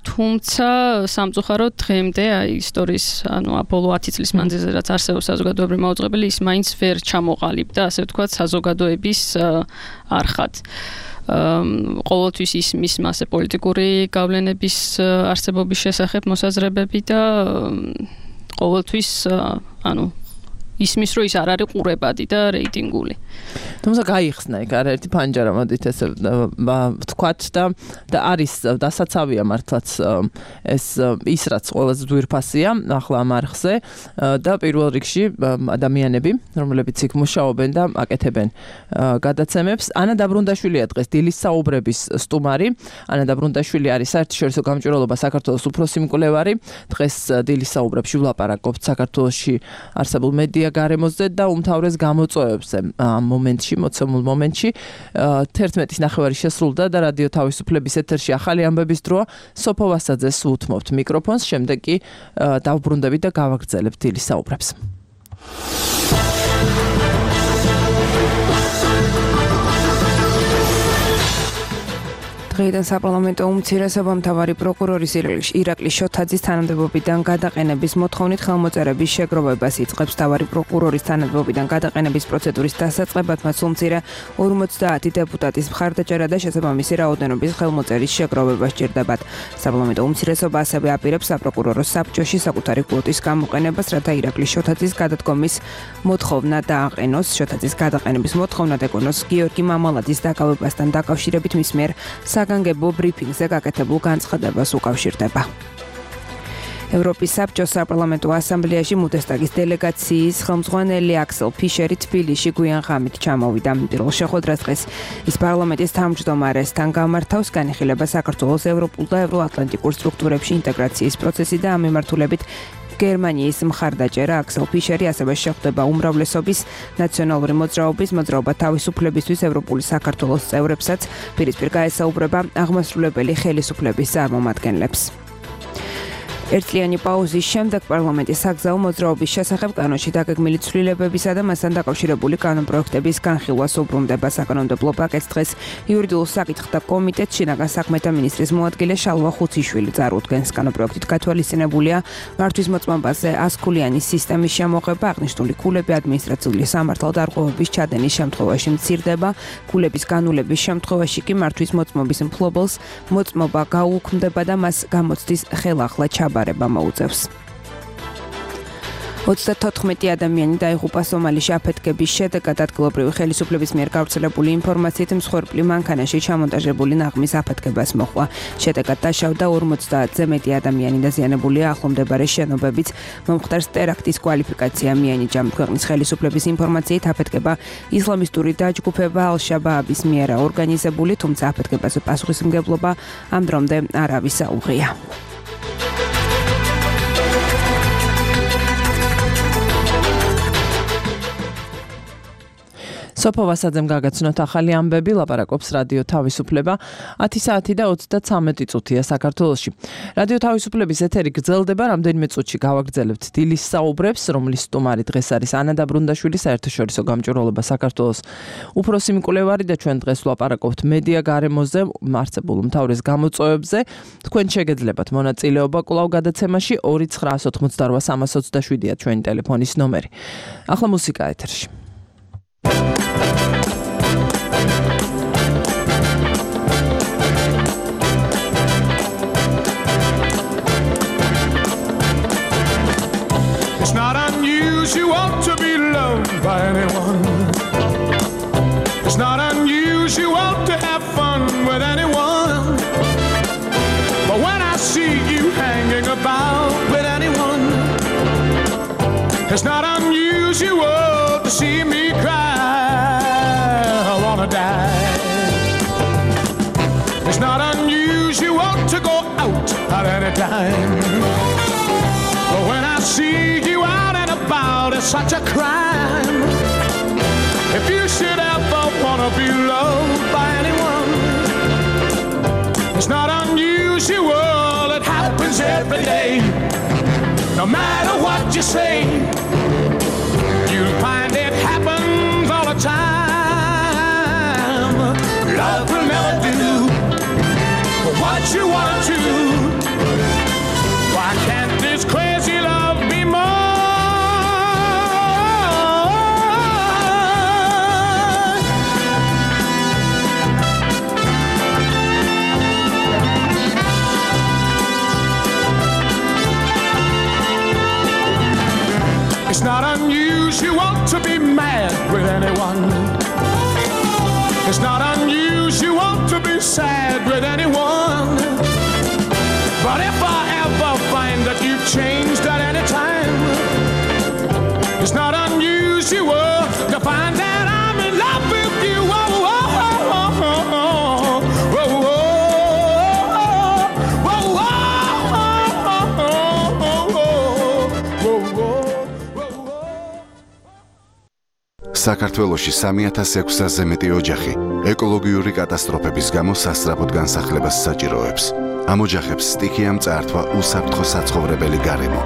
თუმცა სამწუხაროდ დღემდე აი ისტორიის, ანუ ბოლო ათი წლის მანძილზე რაც არსებობს საზოგადოებრივი მაუწყებელი, ის მაინც ვერ ჩამოყალიბდა, ასე ვთქვათ, საზოგადოების არხად. ყოველთვის ის მის მასე პოლიტიკური გავლენების არსებობის შესახებ მოსაზრებები და ყოველთვის ანუ ისმის რომ ის არ არის ყურებადი და რეიტინგული. თუმცა გაიხსნა იქ არაერთი ფანჯარა მოდით ესე ვთქვათ და და არის დასაცავია მართლაც ეს ის რაც ყველაზე ძვირფასია ახლა ამ არხზე და პირველ რიგში ადამიანები რომლებიც იქ მუშაობენ და აკეთებენ გადაცემებს. ანა დაბრუნდაშვილია დღეს დილის საუბრების სტუმარი. ანა დაბრუნდაშვილი არის საერთაშორისო გამჭვირვალობა საქართველოს უფროსი მკვლევარი. დღეს დილის საუბრებში ვლაპარაკობთ საქართველოში არსებულ მედია გარემოზე და უმთავრეს გამოწვევებზე ამ მომენტში, მოცემულ მომენტში. თერთმეტის ნახევარი შესრულდა და რადიო თავისუფლების ეთერში ახალი ამბების დროა. სოფო ვასაძეს უთმობთ მიკროფონს, შემდეგ კი დავბრუნდებით და გავაგრძელებთ დილის საუბრებს. დღეიდან საპარლამენტო უმცირესობამ მთავარი პროკურორის ირაკლი შოთაძის თანამდებობიდან გადაყენების მოთხოვნით ხელმოწერების შეგროვებას იწყებს. მთავარი პროკურორის თანამდებობიდან გადაყენების პროცედურის დასაწყებად მას უმცირე ორმოცდაათი დეპუტატის მხარდაჭერა და შესაბამისი რაოდენობის ხელმოწერის შეგროვება სჭირდებათ. საპარლამენტო უმცირესობა ასევე აპირებს საპროკურორო საბჭოში საკუთარი კვოტის გამოყენებას, რათა ირაკლი შოთაძის გადადგომის მოთხოვნა დააყენოს. შოთაძის გადაყენების მოთხოვნა ეკონოს გიორგი მამალაძის დაკავებასთან დაკავშირებით მის მიერ საგანგებო ბრიფინგზე გაკეთებულ განცხადებას უკავშირდება. ევროპის საბჭოს საპარლამენტო ასამბლეაში ბუნდესტაგის დელეგაციის ხელმძღვანელი აქსელ ფიშერი თბილისში გვიან ღამით ჩამოვიდა. პირველ შეხვედრას დღეს ის პარლამენტის თავმჯდომარესთან გამართავს. განიხილება საქართველოს ევროპულ და ევროატლანტიკურ სტრუქტურებში ინტეგრაციის პროცესი და ამ მიმართულებით გერმანიის მხარდაჭერა. აქსელ ფიშერი ასევე შეხვდება უმრავლესობის ნაციონალური მოძრაობის მოძრაობა თავისუფლებისთვის ევროპული საქართველოს წევრებსაც. პირისპირ გაესაუბრება აღმასრულებელი ხელისუფლების წარმომადგენლებს. ერთწლიანი პაუზის შემდეგ პარლამენტის საგზაო მოძრაობის შესახებ კანონში დაგეგმილი ცვლილებებისა და მასთან დაკავშირებული კანონპროექტების განხილვას უბრუნდება. საკანონმდებლო პაკეტს დღეს იურიდიულ საკითხთა კომიტეტს შინაგან საქმეთა მინისტრის მოადგილე შალვა ხუციშვილი წარუდგენს. კანონპროექტით გათვალისწინებულია მართვის მოწმობაზე ასქულიანი სისტემის შემოღება. აღნიშნული ქულები ადმინისტრაციული სამართალდარღვევების ჩადენის შემთხვევაში მცირდება. ქულების განულების შემთხვევაში კი მართვის მოწმობის მფლობელს მოწმობა გაუქმდება და მას გამოცდის ხელახლა ჩაბარება მოუწევს. ოცდათოთხმეტი ადამიანი დაიღუპა სომალიში აფეთქების შედეგად. ადგილობრივი ხელისუფლების მიერ გავრცელებული ინფორმაციით მსხვერპლი მანქანაში ჩამონტაჟებული ნაღმის აფეთქებას მოჰყვა. შედეგად დაშავდა ორმოცდაათზე მეტი ადამიანი დაზიანებულია ახლომდებარე შენობებიც. მომხდარს ტერაქტის კვალიფიკაცია მიენიჭა. ქვეყნის ხელისუფლების ინფორმაციით აფეთქება ისლამისტური დაჯგუფება ალ-შაბააბის მიერ ორგანიზებული, თუმცა აფეთქებაზე პასუხისმგებლობა ამ დრომდე არავის აუღია. სოფო ვასაძემ გაგაცნოთ ახალი ამბები, ლაპარაკობს რადიო თავისუფლება. ათი საათი და ოცდათვრამეტი წუთია საქართველოში. რადიო თავისუფლების ეთერი გრძელდება, რამდენიმე წუთში გავაგრძელებთ დილის საუბრებს, რომლის სტუმარი დღეს არის ანა დაბრუნდაშვილი, საერთაშორისო გამჭვირვალობა საქართველოს უფროსი მკვლევარი და ჩვენ დღეს ვლაპარაკობთ მედია გარემოზე, არსებულ უმთავრეს გამოწვევებზე. თქვენ შეგეძლებათ მონაწილეობა კვლავ გადაცემაში ორი ცხრა ოცდაოთხმოცდარვა სამას ოცდაშვიდია ჩვენი ტელეფონის ნომერი. ახლა მუსიკა ეთერში. It's not unusual to be loved by anyone. It's not unusual to have fun with anyone. But when I see you hanging about with anyone, it's not unusual to see me cry. I wanna die. It's not unusual to go out at any time. But when I see you out and about, it's such a crime. It's not unusual, it happens every day. No matter what you say, you'll find it happens all the time. Love will never do what you want to. Why can't this crazy love be more? It's not unusual to be mad with anyone. It's not unusual to be sad with anyone. But if I ever find that you've changed at any time, it's not unusual to find that I'm in love with you. Oh, oh, oh, oh, oh, oh, oh, საქართველოში სამი ათას ექვსასზე მეტი ოჯახი ეკოლოგიური კატასტროფების გამო სასწრაფოდ განსახლებას საჭიროებს. ამ ოჯახებს სტიქიამ წაართვა უსაფრთხო საცხოვრებელი გარემო.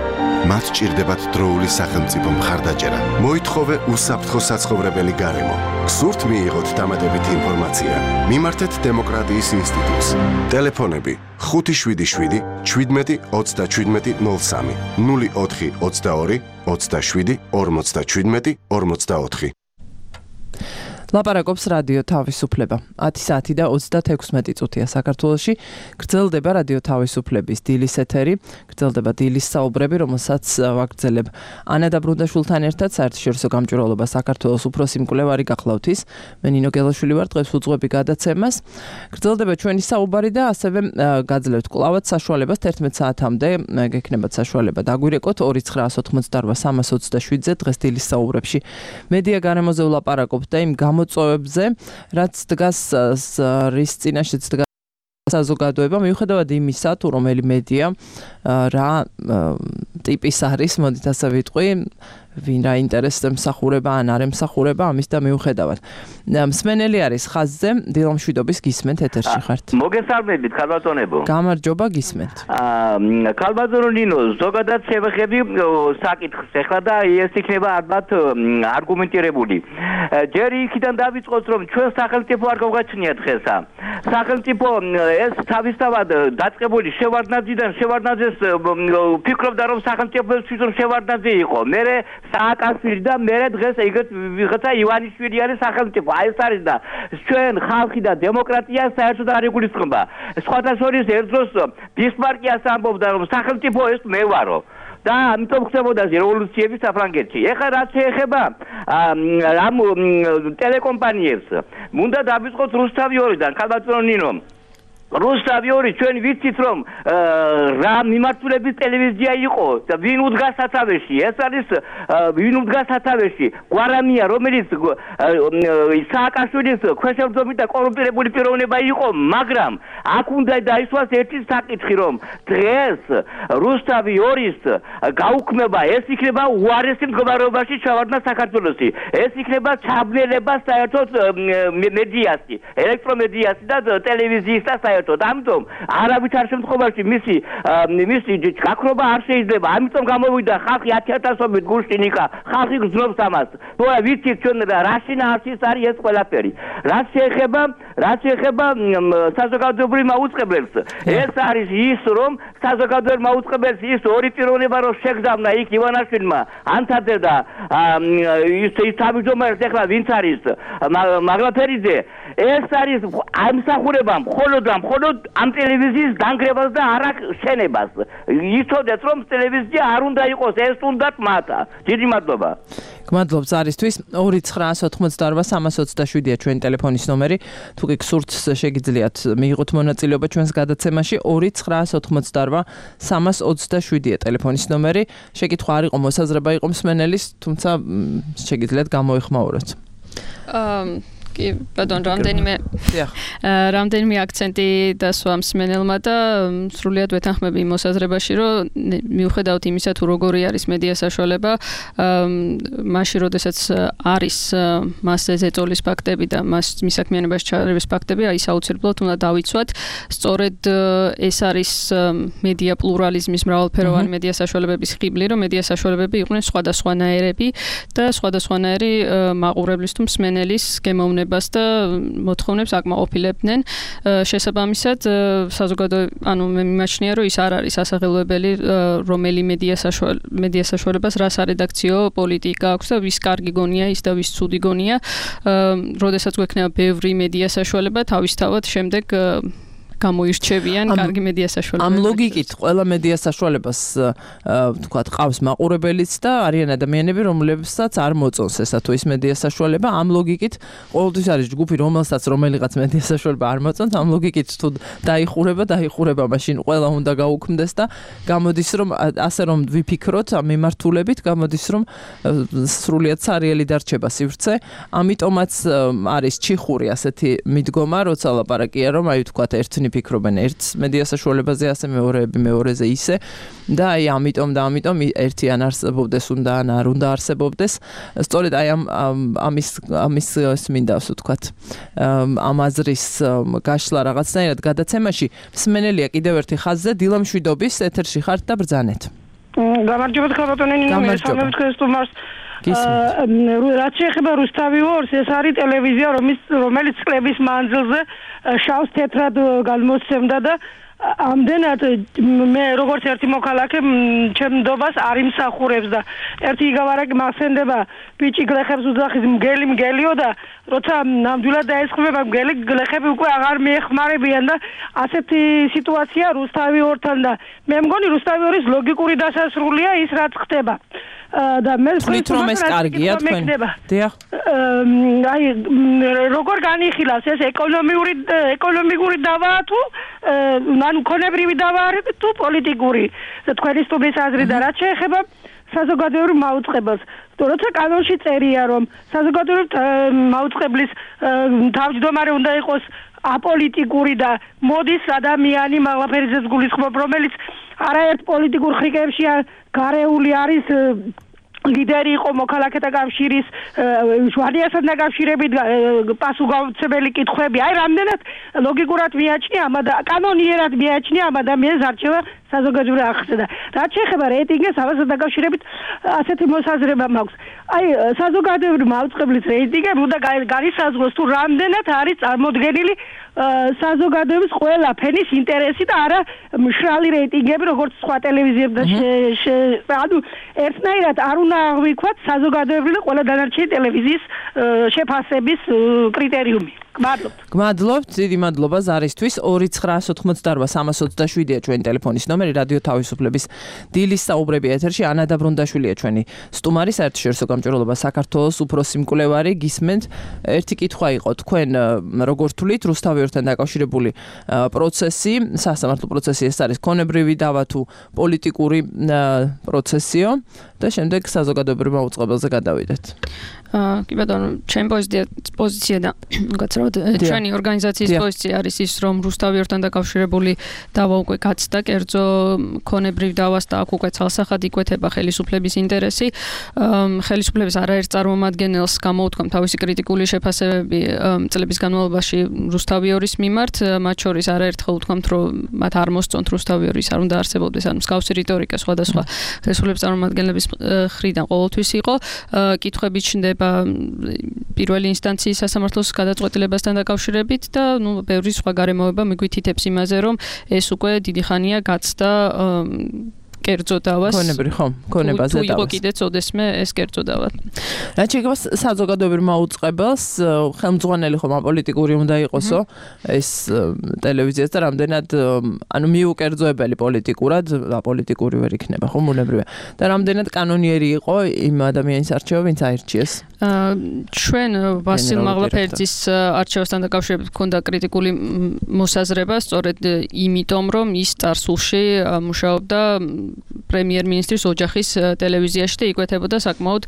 მათ ჭირდებათ დროული სახელმწიფო მხარდაჭერა. მოითხოვე უსაფრთხო საცხოვრებელი გარემო. სურთ მიიღოთ დამატებითი ინფორმაცია? მიმართეთ დემოკრატიის ინსტიტუტს. ტელეფონები ხუთი შვიდი შვიდი შვიდმეტი ოცდაშვიდმეტი ნულ სამი ნული ოთხი ოცდაორი ოცდაშვიდი ორმოცდაშვიდმეტი ორმოცდაოთხი. ლაპარაკობს რადიო თავისუფლება. ათი საათი და ოცდაექვსმეტი წუთია საქართველოში. გრძელდება რადიო თავისუფლების დილის ეთერი. გრძელდება დილის საუბრები, რომელსაც ვაგრძელებ ანა დაბრუნდაშვილთან ერთად საერთაშორისო გამჭვირვალობა საქართველოს უფროსი მკვლევარი გახლავთ ის. მე ნინო გელაშვილი ვარ, დღეს უძღვები გადაცემას. გრძელდება ჩვენი საუბარი და ასევე გაძლევთ კვლავაც საშუალებას თერთმეტ საათამდე გექნებათ საშუალება დაგვირეკოთ ორი ცხრაას ოცდაოთხ სამას ოცდაშვიდზე დღეს დილის საუბრებში. მედია გარემოზე ვლაპარაკობთ და იმ მოწვევებზე, რაც დგას რის წინაშეც დგას საზოგადოება, მიუხედავად იმისა, თუ რომელი მედია რა ტიპის არის, მოდით ასე ვიტყვი, ვინ რა ინტერესს ემსახურება ან არ ემსახურება, ამის და მიუხედავად. მსმენელი არის ხაზზე, დილამშვიდობის გისმენთ ეთერში ხართ. მოგესალმებით, ქალბატონებო. გამარჯობა, გისმენთ. აა ქალბატონო ნინო, ზოგადად შევეხები საკითხს ახლა და ეს იქნება ალბათ არგუმენტირებული. ჯერ იქიდან დავიწყოთ, რომ ჩვენ სახელმწიფო არ გავგაჩნია დღესა. სახელმწიფო ეს თავისთავად დაწყებული შევარდნაძიდან შევარდნაძეს ფიქრობდა, რომ სახელმწიფოს თვითონ შევარდნაძე იყო. მერე სააკაშვილი და მერე დღეს ეგეთ ვიღაცა ივანიშვილი არის სახელმწიფო. აი ეს არის და ჩვენ ხალხი და დემოკრატია საერთოდ არ იგულისხმება. სხვათა შორის ერთ დროს ბისმარკიას ამბობდა, რომ სახელმწიფო ეს მე ვარო. და ამიტომ ხდებოდა რევოლუციები საფრანგეთში. ეხლა რაც შეეხება ამ ტელეკომპანიებს, უნდა დავიწყოთ რუსთავი ორიდან, ქალბატონო ნინო. რუსთავი ორი ჩვენ ვიცით რომ რა მიმართულების ტელევიზია იყო და ვინ უდგას სათავეში. ეს არის ვინ უდგას სათავეში? გვარამია, რომელიც სააკაშვილის ქვეშევრდომი და კორუმპირებული პიროვნება იყო, მაგრამ აქ უნდა დაისვას ერთი საკითხი, რომ დღეს რუსთავი ორის გაუქმება ეს იქნება უარესი მდგომარეობაში ჩავარდნა საქართველოსი. ეს იქნება ჩაბნელება საერთოდ მედიასი, ელექტრომედიასი და ტელევიზიის და ამიტომ არავის არ შემთხვევაში მისი მისი გაქრობა არ შეიძლება. ამიტომ გამოვიდა ხალხი ათი ათასობით გუშინიკა, ხალხი გრძნობს ამას. თორე ვიცით ჩვენ რა შინაარსის არის ეს ყველაფერი. რაც შეეხება რაც შეეხება საზოგადოებრივ მაუწყებელს, ეს არის ის, რომ საზოგადოებრივ მაუწყებელს ის ორი პიროვნება რომ შეგზავნა იქ ივანაშვილმა ანთაძე და ის თავმჯდომარეს ახლა ვინც არის მაგლაფერიძე, ეს არის ამსახურება მხოლოდ და მხოლოდ ამ ტელევიზიის დანგრევას და არა შენებას. იცოდეთ რომ ტელევიზია არ უნდა იყოს, ეს უნდათ მათა. დიდი მადლობა. გმადლობ ზარისთვის. ორი ცხრაას ოცდაოთხ სამას ოცდაშვიდია ჩვენი ტელეფონის ნომერი. თუ კი გსურთ შეგიძლიათ მიიღოთ მონაწილეობა ჩვენს გადაცემაში. ორი ცხრაას ოცდაოთხ სამას ოცდაშვიდია ტელეფონის ნომერი. შეკითხვა არ იყო მოსაზრება იყო მსმენელის, თუმცა შეგიძლიათ გამოეხმაუროთ. აა კი, ბატონ, რამდენიმე რამდენიმე აქცენტი დასვა მსმენელმა და სრულიად ვეთანხმები იმ მოსაზრებაში, რომ მიუხედავად იმისა, თუ როგორი არის მედია საშუალება, მაშინ როდესაც არის მასზე ზეწოლის ფაქტები და მას მის საქმიანობაში ჩარევის ფაქტები, აი საოცრებლად უნდა დავიცვათ. სწორედ ეს არის მედია პლურალიზმის მრავალფეროვანი მედია საშუალებების ხიბლი, რომ მედია საშუალებები იყვნენ სხვადასხვანაირები და სხვადასხვანაირი მაყურებლის თუ მსმენელის გემოვნებას და მოთხოვნებს აკმაყოფილებდნენ. შესაბამისად, საზოგადო, ანუ მე მიმაჩნია, რომ ის არ არის ასაღელვებელი, რომელი მედია მედია საშუალებას რა სარედაქციო პოლიტიკა აქვს და ვის კარგი გონია ის და ვის ცუდი გონია. როდესაც გვექნება ბევრი მედია საშუალება, თავისთავად შემდეგ გამოირჩევიან კარგი მედია საშუალებები. ამ ლოგიკით ყველა მედია საშუალებას თქვა ყავს მაყურებელიც და არიან ადამიანები, რომლებსაც არ მოწონს ესა თუ ის მედია საშუალება. ამ ლოგიკით ყოველთვის არის ჯგუფი, რომელსაც რომელიღაც მედია საშუალება არ მოწონს. ამ ლოგიკით თუ დაიხურება, დაიხურება, მაშინ ყველა უნდა გაუქმდეს და გამოდის რომ ასე რომ ვიფიქროთ ამ მიმართულებით, გამოდის რომ სრულიად სარიელი დარჩება სივრცე. ამიტომაც არის ჩიხური ასეთი მიდგომა, როცა ლაპარაკია რომ აი თქვა ერთნი ფიქრობენ ერთს მედია საშუალებაზე, ასე მეორეები მეორეზე ისე და აი ამიტომ და ამიტომ ერთი ან არსებობდეს უნდა ან არ უნდა არსებობდეს. სწორედ აი ამ ამის ამის მინდა ასე ვთქვათ ამ აზრის გაშლა რაღაცნაირად გადაცემაში მსმენელია კიდევ ერთი ხაზზე დილა მშვიდობის ეთერში ხართ და ბრძანეთ. გამარჯობა ხალხატონენი მე სამებს ქრისტუმარს რაც შეეხება რუსთავი ორს, ეს არის ტელევიზია, რომელიც წლების მანძილზე შავს თეთრად გადმოსცემდა და ამდენად მე როგორც ერთი მოქალაქე ჩემ ნდობას არ იმსახურებს და ერთი იგავარაკი მასენდება ბიჭი გლეხებს უძახის მგელი მგელიო და როცა ნამდვილად დაესხმება მგელი გლეხები უკვე აღარ მიეხმარებიან და ასეთი სიტუაცია რუსთავი ორთან და მე მგონი რუსთავი ორის ლოგიკური დასასრულია ის რაც ხდება. და მე ვთქვით რომ ეს კარგია თქვენ. დიახ. აი როგორ განიხილავს ეს ეკონომიური ეკონომიკური დავაა თუ ანუ ქონებრივი დავა არის თუ პოლიტიკური თქვენი სტუმრის აზრი და რაც შეეხება საზოგადოებრივ მაუწყებელს. როცა კანონში წერია რომ საზოგადოებრივ მაუწყებლის თავმჯდომარე უნდა იყოს აპოლიტიკური და მოდის ადამიანი მაღლაფერიძეს გულისხმობ, რომელიც არაერთ პოლიტიკურ ხრიკებში გარეული არის ლიდერი იყო მოქალაქეთა კავშირის ჟვანიასთან დაკავშირებით პასუხისმგებელი კითხვები. აი რამდენად ლოგიკურად მიაჩნია ამ და კანონიერად მიაჩნია ამ ადამიანის არჩევა საზოგადოებრივ არხზე და რაც შეეხება რეიტინგს, ამასთან დაკავშირებით ასეთი მოსაზრება მაქვს. აი საზოგადოებრივ მაუწყებლის რეიტინგები უნდა განისაზღვროს თუ რამდენად არის წარმოდგენილი საზოგადოების ყველა ფენის ინტერესი და არა მშრალი რეიტინგები როგორც სხვა ტელევიზიებთან ანუ ერთნაირად არ უნდა აღვიქვათ საზოგადოებრივი ყველა დანარჩენი ტელევიზიის შეფასების კრიტერიუმი. გმადლობთ. გმადლობთ, დიდი მადლობა ზარისთვის. ორი ცხრაასი ოცდაოთხმოცდაარბა სამას ოცდაშვიდია ჩვენი ტელეფონის ნომერი, რადიო თავისუფლების დილის საუბრები ეთერში. ანა დაბრუნდაშვილია ჩვენი სტუმარი, საერთაშორისო გამჭვირვალობა საქართველოს უფროსი მკვლევარი. გისმენთ, ერთი კითხვა იყო, თქვენ როგორ თვლით რუსთავი ორთან დაკავშირებული პროცესი, სასამართლო პროცესი ეს არის ქონებრივი დავა თუ პოლიტიკური პროცესიო და შემდეგ საზოგადოებრივ მაუწყებელზე გადავიდეთ. აა კი ბატონო, ჩემი პოზიცია და გაცრავთ ჩვენი ორგანიზაციის პოზიცია არის ის, რომ რუსთავი ორთან დაკავშირებული დავა უკვე გაცდა კერძო ქონებრივ დავას და აქ უკვე ცალსახად იკვეთება ხელისუფლების ინტერესი. ხელისუფლების არაერთ წარმომადგენელს გამოუთქვამ თავისი კრიტიკული შეფასებები წლების განმავლობაში რუსთავი ორის მიმართ, მათ შორის არაერთხელ უთქვამთ, რომ მათ არ მოსწონთ რუსთავი ორის არ უნდა არსებობდეს, ანუ მსგავსი რიტორიკა სხვადასხვა ხელისუფლების წარმომადგენლების მხრიდან ყოველთვის იყო. კითხვები ჩნდება პირველი ინსტანციის სასამართლოს გადაწყვეტილებასთან დაკავშირებით და ნუ ბევრი სხვა გარემოება მიგვითითებს იმაზე, რომ ეს უკვე დიდი ხანია გაცდა კერძო დავას. ქონებრივ ხო, ქონებაზე დავას. თუ იყო კიდე წოდესმე ეს კერძო დავა. რაც შეეხება საზოგადოებრივ მაუწყებელს, ხელმძღვანელი ხომ აპოლიტიკური უნდა იყოსო ეს ტელევიზიას და რამდენად ანუ მიუკერძოებელი პოლიტიკურად, აპოლიტიკური ვერ იქნება ხო მუნებრივია. და რამდენად კანონიერი იყო იმ ადამიანის არჩევა, ვინც აირჩიეს. ჩვენ ვასილ მაღლაფერიძის არჩევასთან დაკავშირებით ჰქონდა კრიტიკული მოსაზრება, სწორედ იმიტომ რომ ის წარსულში მუშაობდა პრემიერ-მინისტრის ოჯახის ტელევიზიაში და იკვეთებოდა საკმაოდ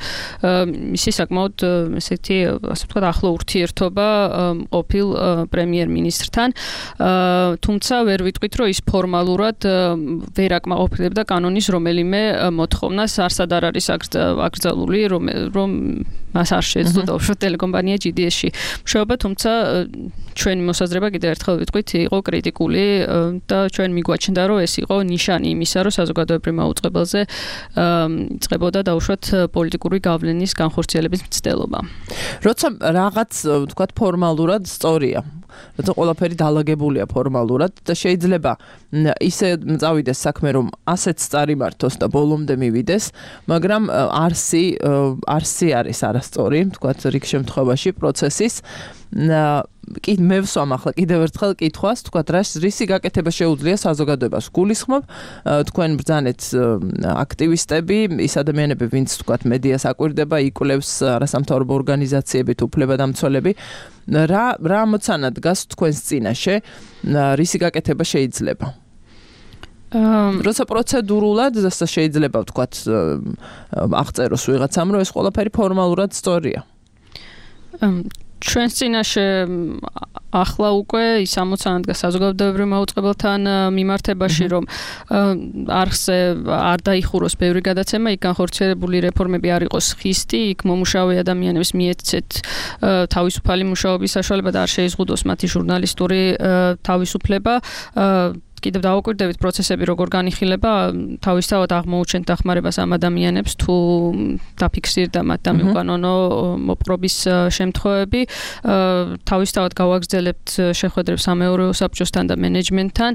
მისი საკმაოდ ესეთი ასე ვთქვათ ახლო ურთიერთობა ყოფილ პრემიერ-მინისტრთან. თუმცა ვერ ვიტყვით, რომ ის ფორმალურად ვერ აკმაყოფილებდა კანონის რომელიმე მოთხოვნას, არსად არ არის აკრძალული, რომ რომ მას არ შეეძლო დაუშვათ ტელეკომპანია ჯი დი ეს-ში მუშაობა, თუმცა ჩვენი მოსაზრება კიდევ ერთხელ ვიტყვით, იყო კრიტიკული და ჩვენ მიგვაჩნდა, რომ ეს იყო ნიშანი იმისა, რომ საზოგადოებრივ მაუწყებელზე იწყებოდა დაუშვათ პოლიტიკური გავლენის განხორციელების მცდელობა. როცა რაღაც ვთქვათ ფორმალურად სწორია, როცა ყველაფერი დალაგებულია ფორმალურად და შეიძლება ისე წავიდეს საქმე, რომ ასეც წარიმართოს და ბოლომდე მივიდეს, მაგრამ არსი არსი არის არასწორი, ვთქვათ რიგ შემთხვევაში პროცესის კი მე ვსვამ ახლა კიდევ ერთხელ კითხვას, თქვა რისი გაკეთება შეუძლია საზოგადოებას. გულისხმობ თქვენ ბრძანეთ აქტივისტები, ის ადამიანები, ვინც თქვა მედიას აკვირდება, იკვლევს არასამთავრობო ორგანიზაციები, უფლებადამცველები, რა რა მოცანა დგას თქვენს წინაშე, რისი გაკეთება შეიძლება? როცა პროცედურულად შეიძლება ვთქვათ აღწეროს ვიღაცამ, რომ ეს ყველაფერი ფორმალურად სწორია. ჩვენს წინაშე ახლა უკვე ის ამოცანა დგას საზოგადოებრივ მაუწყებელთან მიმართებაში, რომ არხზე არ დაიხუროს ბევრი გადაცემა, იქ განხორციელებული რეფორმები არ იყოს ხისტი, იქ მომუშავე ადამიანებს მიეცეთ თავისუფალი მუშაობის საშუალება და არ შეიზღუდოს მათი ჟურნალისტური თავისუფლება. კიდევ დავაკვირდებით პროცესები როგორ განიხილება, თავისთავად აღმოუჩენთ დახმარებას ამ ადამიანებს, თუ დაფიქსირდა მათ და მიუკანონო მოპყრობის შემთხვევები. თავისთავად გავაგრძელებთ შეხვედრებს სამეურვეო საბჭოსთან და მენეჯმენტთან.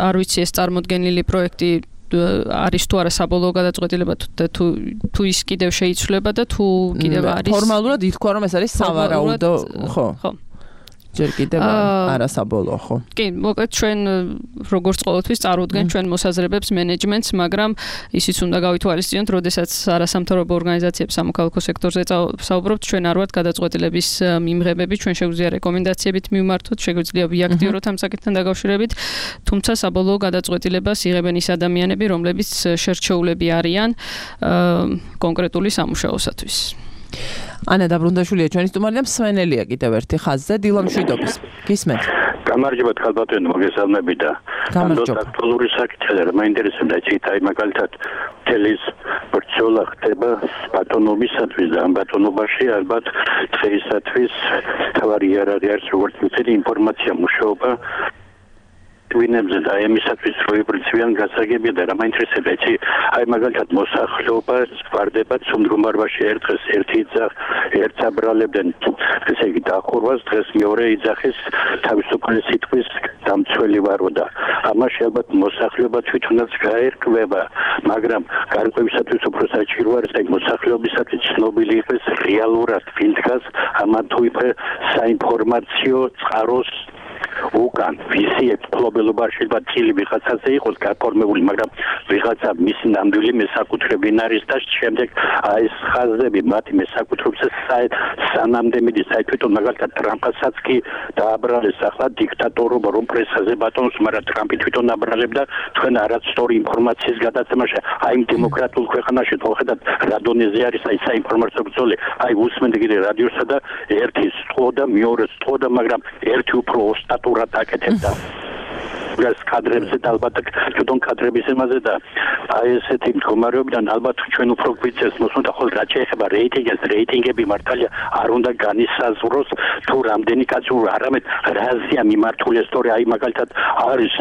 არ ვიცი ეს წარმოდგენილი პროექტი არის თუ არა საბოლოო გადაწყვეტილება და თუ თუ ის კიდევ შეიცვლება და თუ კიდევ არის ფორმალურად ითქვა რომ ეს არის სავარაუდო, ხო? ხო. ჯერ კიდევ არასაბოლოო, ხო? კი, მოკლედ ჩვენ როგორც ყოველთვის წარუდგენთ ჩვენ მოსაზრებებს მენეჯმენტს, მაგრამ ისიც უნდა გავითვალისწინოთ, როდესაც არასამთავრობო ორგანიზაციებს სამოქალაქო სექტორზე საუბრობთ, ჩვენ არ ვართ გადაწყვეტილების მიმღებები, ჩვენ შეგვიძლია რეკომენდაციებით მივმართოთ, შეგვიძლია ვიაქტიუროთ ამ საკითხთან დაკავშირებით, თუმცა საბოლოო გადაწყვეტილებას იღებენ ის ადამიანები, რომლებიც შერჩეულები არიან კონკრეტული სამუშაოსათვის. ანა დაბრუნდაშვილია ჩვენი სტუმარი და მსვენელია კიდევ ერთი ხაზზე დილა მშვიდობის. გისმენთ? გამარჯობა ხალბატონო, მოგესალმები და გამარჯობა. აქტუალური საკითხია, რა მაინტერესებდა ციტაი მაგალითად თელის ბრძოლა ხდება ბატონობისათვის და ამ ბატონობაში ალბათ დღეისათვის თავარი არ არის როგორც ვიცით ინფორმაცია მუშაობა twinებზე და ემისათვის რო იბრძვიან გასაგებია და რა მაინტერესებდა იცი აი მაგალითად მოსახლეობა ვარდება ცუნდრუმარბაში ერთხელ ერთი იძახ ერთს აბრალებდნენ ესე იგი დახურვას დღეს მეორე იძახის თავისუფალი სიტყვის დამცველი ვარო და ამაში ალბათ მოსახლეობა თვითონაც გაერკვება მაგრამ გარკვევისათვის უფრო საჭირო არის აი მოსახლეობისათვის ცნობილი იყოს რეალურად ვინ დგას ამან თუ είπε საინფორმაციო წყაროს უკან ვისი ექსპლობელობა შეიძლება წილი ვიღაცაზე იყოს გაფორმებული, მაგრამ ვიღაცა მისი ნამდვილი მესაკუთრებინ არის და შემდეგ აი ეს ხაზები მათი მესაკუთრებისა სანამდე მიდის აი თვითონ მაგალითად ტრამპასაც კი დააბრალეს ახლა დიქტატორობა რომ პრესაზე ბატონს, მაგრამ ტრამპი თვითონ აბრალებდა თქვენ არასწორი ინფორმაციის გადაცემაში აი იმ დემოკრატიულ ქვეყანაში თორხედათ რა დონეზე არის აი საინფორმაციო ბრძოლა აი უსმენთ კიდე რადიოსა და ერთი სწოდა მეორე სწოდა მაგრამ ერთი უფრო ოსტატურად აკეთებდა გას კადრებზე და ალბათ თვითონ კადრების ემაზე და აი ესეთი მდგომარეობიდან ალბათ ჩვენ უფრო გვიწევს მოსუნდა ხოლმე რა შეეხება რეიტინგებს რეიტინგები მართალია არ უნდა განისაზღვროს თუ რამდენი კაცი არამედ რაზეა მიმართული სწორი აი მაგალითად არის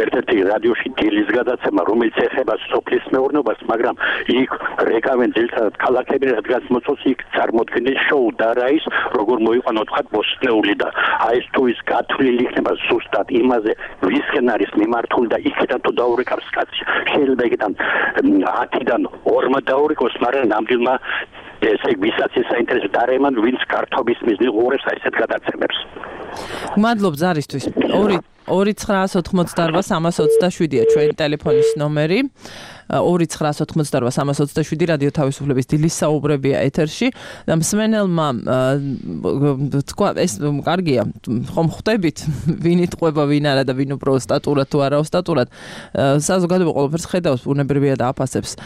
ერთ-ერთი რადიოში დილის გადაცემა რომელიც ეხება სოფლის მეურნეობას მაგრამ იქ რეკავენ ძილთად ქალაქები რადგან მოწოს იქ წარმოქმნის შოუ და რა ის როგორ მოიყვანო თქვა ბოსტნეული და აი ეს თუ ის გათვლილი იქნება ზუსტად იმაზე ვის არის მიმართული და იქიდან თუ დაურეკავს კაცი შეიძლება იქიდან ათიდან ორმა დაურეკოს მაგრამ ნამდვილმა ესე ვისაც ეს საინტერესო დარემან ვინც კარტობის მიზნით უყურებს აი ესეთ გადაცემებს მადლობ ზარისთვის ორი ორი ცხრაას ოთხმოცდაოთხ სამას ოცდაშვიდია ჩვენი ტელეფონის ნომერი ორი ცხრაას ოთხმოცდაოთხ სამას ოცდაშვიდი რადიო თავისუფლების დილის საუბრებია ეთერში და მსმენელმა თქვა ეს კარგია ხომ ხვდებით ვინ იტყვება ვინ არა და ვინ უფრო სტატურად თუ არა სტატურად საზოგადოება ყველაფერს ხედავს ბუნებრივია და აფასებს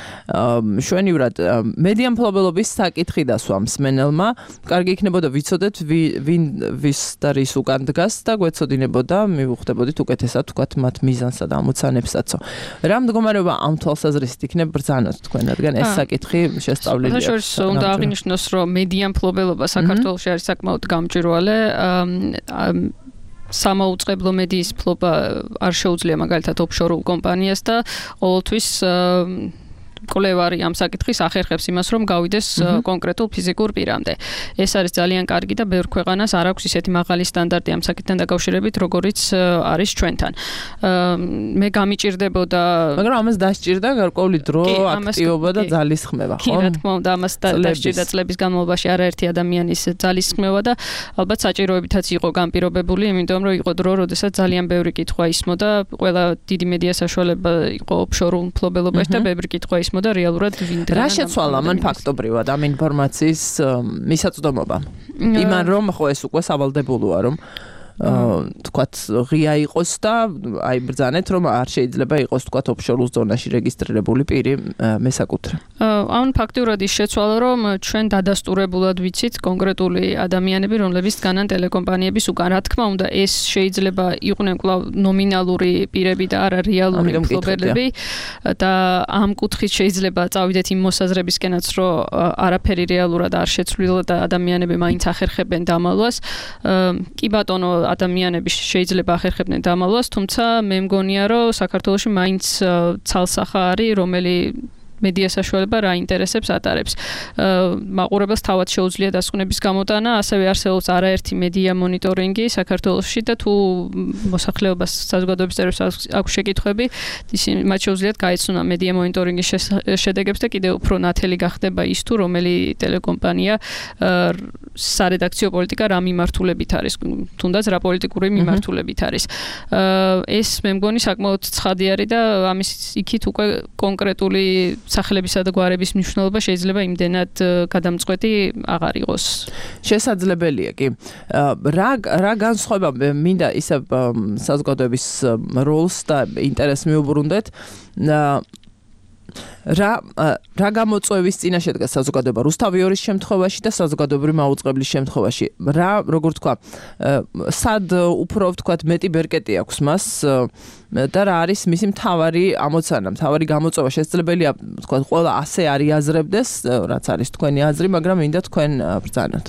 შვენივრად მედია მფლობელობის საკითხი დასვა მსმენელმა კარგი იქნებოდა ვიცოდეთ ვინ ვის და რის უკან დგას და გვეცოდინებოდა მივხვდებოდით უკეთესად თქვათ მათ მიზანსა და ამოცანებსაცო რა მდგომარეობა ამ თვალსაზრისით იქნება ბრძანოთ თქვენ რადგან ეს საკითხი შესწავლილია შორის უნდა აღინიშნოს რომ მედია მფლობელობა საქართველოში არის საკმაოდ გამჭვირვალე სამაუწყებლო მედიის ფლობა არ შეუძლია მაგალითად ოფშორულ კომპანიას და ყოველთვის კვლევარი ამ საკითხის ახერხებს იმას, რომ გავიდეს კონკრეტულ ფიზიკურ პირამდე. ეს არის ძალიან კარგი და ბევრ ქვეყანას არ აქვს ისეთი მაღალი სტანდარტი ამ საკითხთან დაკავშირებით, როგორიც არის ჩვენთან. მე გამიჭირდებოდა, მაგრამ ამას დასჭირდა გარკვეული დრო, აქტივობა და ძალისხმევა, ხო? კი, რა თქმა უნდა, ამას დასჭირდა წლების განმავლობაში არაერთი ადამიანის ძალისხმევა და ალბათ საჭიროებითაც იყო განპირობებული, იმიტომ რომ იყო დრო, როდესაც ძალიან ბევრი კითხვა ისმოდა, ყველა დიდი მედია საშუალება იყო ოფშორულ მფლობელობაში და ბევრი კითხვა ისმოდა და რეალურად ვინ რა შეცვალა მან ფაქტობრივად ამ ინფორმაციის მისაწვდომობა იმან რომ ხო ეს უკვე სავალდებულოა რომ თქვათ ღია იყოს და აი ბრძანეთ რომ არ შეიძლება იყოს თქვათ ოფშორულ ზონაში რეგისტრირებული პირი მესაკუთრე. ან ფაქტიურად ის შეცვალა რომ ჩვენ დადასტურებულად ვიცით კონკრეტული ადამიანები რომლებიც დგანან ტელეკომპანიების უკან რა თქმა უნდა ეს შეიძლება იყვნენ კვლავ ნომინალური პირები და არა რეალური მფლობელები და ამ კუთხით შეიძლება წავიდეთ იმ მოსაზრებისკენაც რომ არაფერი რეალურად არ შეცვლილა და ადამიანები მაინც ახერხებენ დამალვას. კი ბატონო ადამიანები შეიძლება ახერხებდნენ დამალვას, თუმცა მე მგონია, რომ საქართველოში მაინც ცალსახა არის, რომელი მედია საშუალება რა ინტერესებს ატარებს. მაყურებელს თავად შეუძლია დასკვნების გამოტანა, ასევე არსებობს არაერთი მედია მონიტორინგი საქართველოში და თუ მოსახლეობას საზოგადოების წევრებს აქვს შეკითხვები, ისინი მათ შეუძლიათ გაეცნონ მედია მონიტორინგის შედეგებს და კიდევ უფრო ნათელი გახდება ის თუ რომელი ტელეკომპანია სარედაქციო პოლიტიკა რა მიმართულებით არის, თუნდაც რა პოლიტიკური მიმართულებით არის. ეს მე მგონი საკმაოდ ცხადი არის და ამის იქით უკვე კონკრეტული სახელებისა და გვარების მნიშვნელობა შეიძლება იმდენად გადამწყვეტი აღარ იყოს. შესაძლებელია კი. რა რა განსხვავება მინდა ისე საზოგადოების როლს და ინტერესს მიუბრუნდეთ. რა რა გამოწვევის წინაშე დგას საზოგადოება რუსთავიორის შემთხვევაში და საზოგადოებრივი მაუწყებლის შემთხვევაში რა როგორ თქვა სად უფრო თქვა მეტი ბერკეტი აქვს მას და რა არის მისი მთავარი ამოცანა მთავარი გამოწვევა შესაძლებელია თქვა ყველა ასე არიაზრებდეს რაც არის თქვენი აზრი მაგრამ მინდა თქვენ ბრძანოთ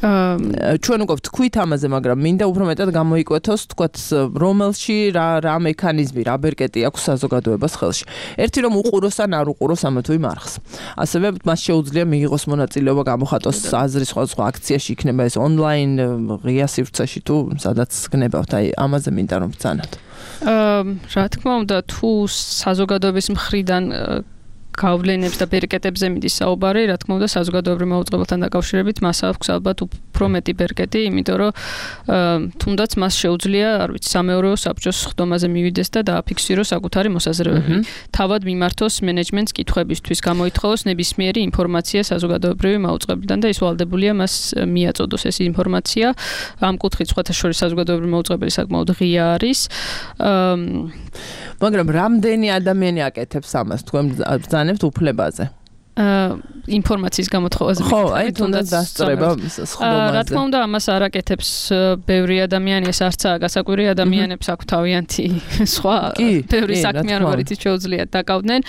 ჩვენ უკვე ვთქვით ამაზე, მაგრამ მინდა უფრო მეტად გამოიკვეთოს, თქვათ, რომელში რა რა მექანიზმი, რა ბერკეტი აქვს საზოგადოებას ხელში. ერთი რომ უყუროს ან არ უყუროს ამა თუ იმ არხს. ასევე მას შეუძლია მიიღოს მონაწილეობა, გამოხატოს აზრი სხვადასხვა აქციაში, იქნება ეს ონლაინ, ღია სივრცეში თუ სადაც გნებავთ. აი, ამაზე მინდა რომ ბრძანოთ. რა თქმა უნდა, თუ საზოგადოების მხრიდან გავლენებს და ბერკეტებზე მიდის საუბარი, რა თქმა უნდა, საზოგადოებრივ მაუწყებელთან დაკავშირებით მას აქვს ალბათ უფრო მეტი ბერკეტი, იმიტომ რომ თუნდაც მას შეუძლია, არ ვიცი, სამეურვეო საბჭოს ხდომაზე მივიდეს და დააფიქსიროს საკუთარი მოსაზრებები. თავად მიმართოს მენეჯმენტს კითხვებისთვის, გამოითხოვოს ნებისმიერი ინფორმაცია საზოგადოებრივი მაუწყებლიდან და ის ვალდებულია მას მიაწოდოს ეს ინფორმაცია. ამ კუთხით სხვათა შორის საზოგადოებრივი მაუწყებელი საკმაოდ ღია არის. მაგრამ რამდენი ადამიანი აკეთებს ამას თქვენ ბრძანებთ უფლებაზე? ინფორმაციის გამოთხოვაზე. ხო, აი თუნდაც დასწრება სხდომაზე. რა თქმა უნდა, ამას არ აკეთებს ბევრი ადამიანი, ეს არცაა გასაკვირი ადამიანებს აქვს თავიანთი სხვა ბევრი საქმე, რომელიც შეუძლიათ დაკავდნენ.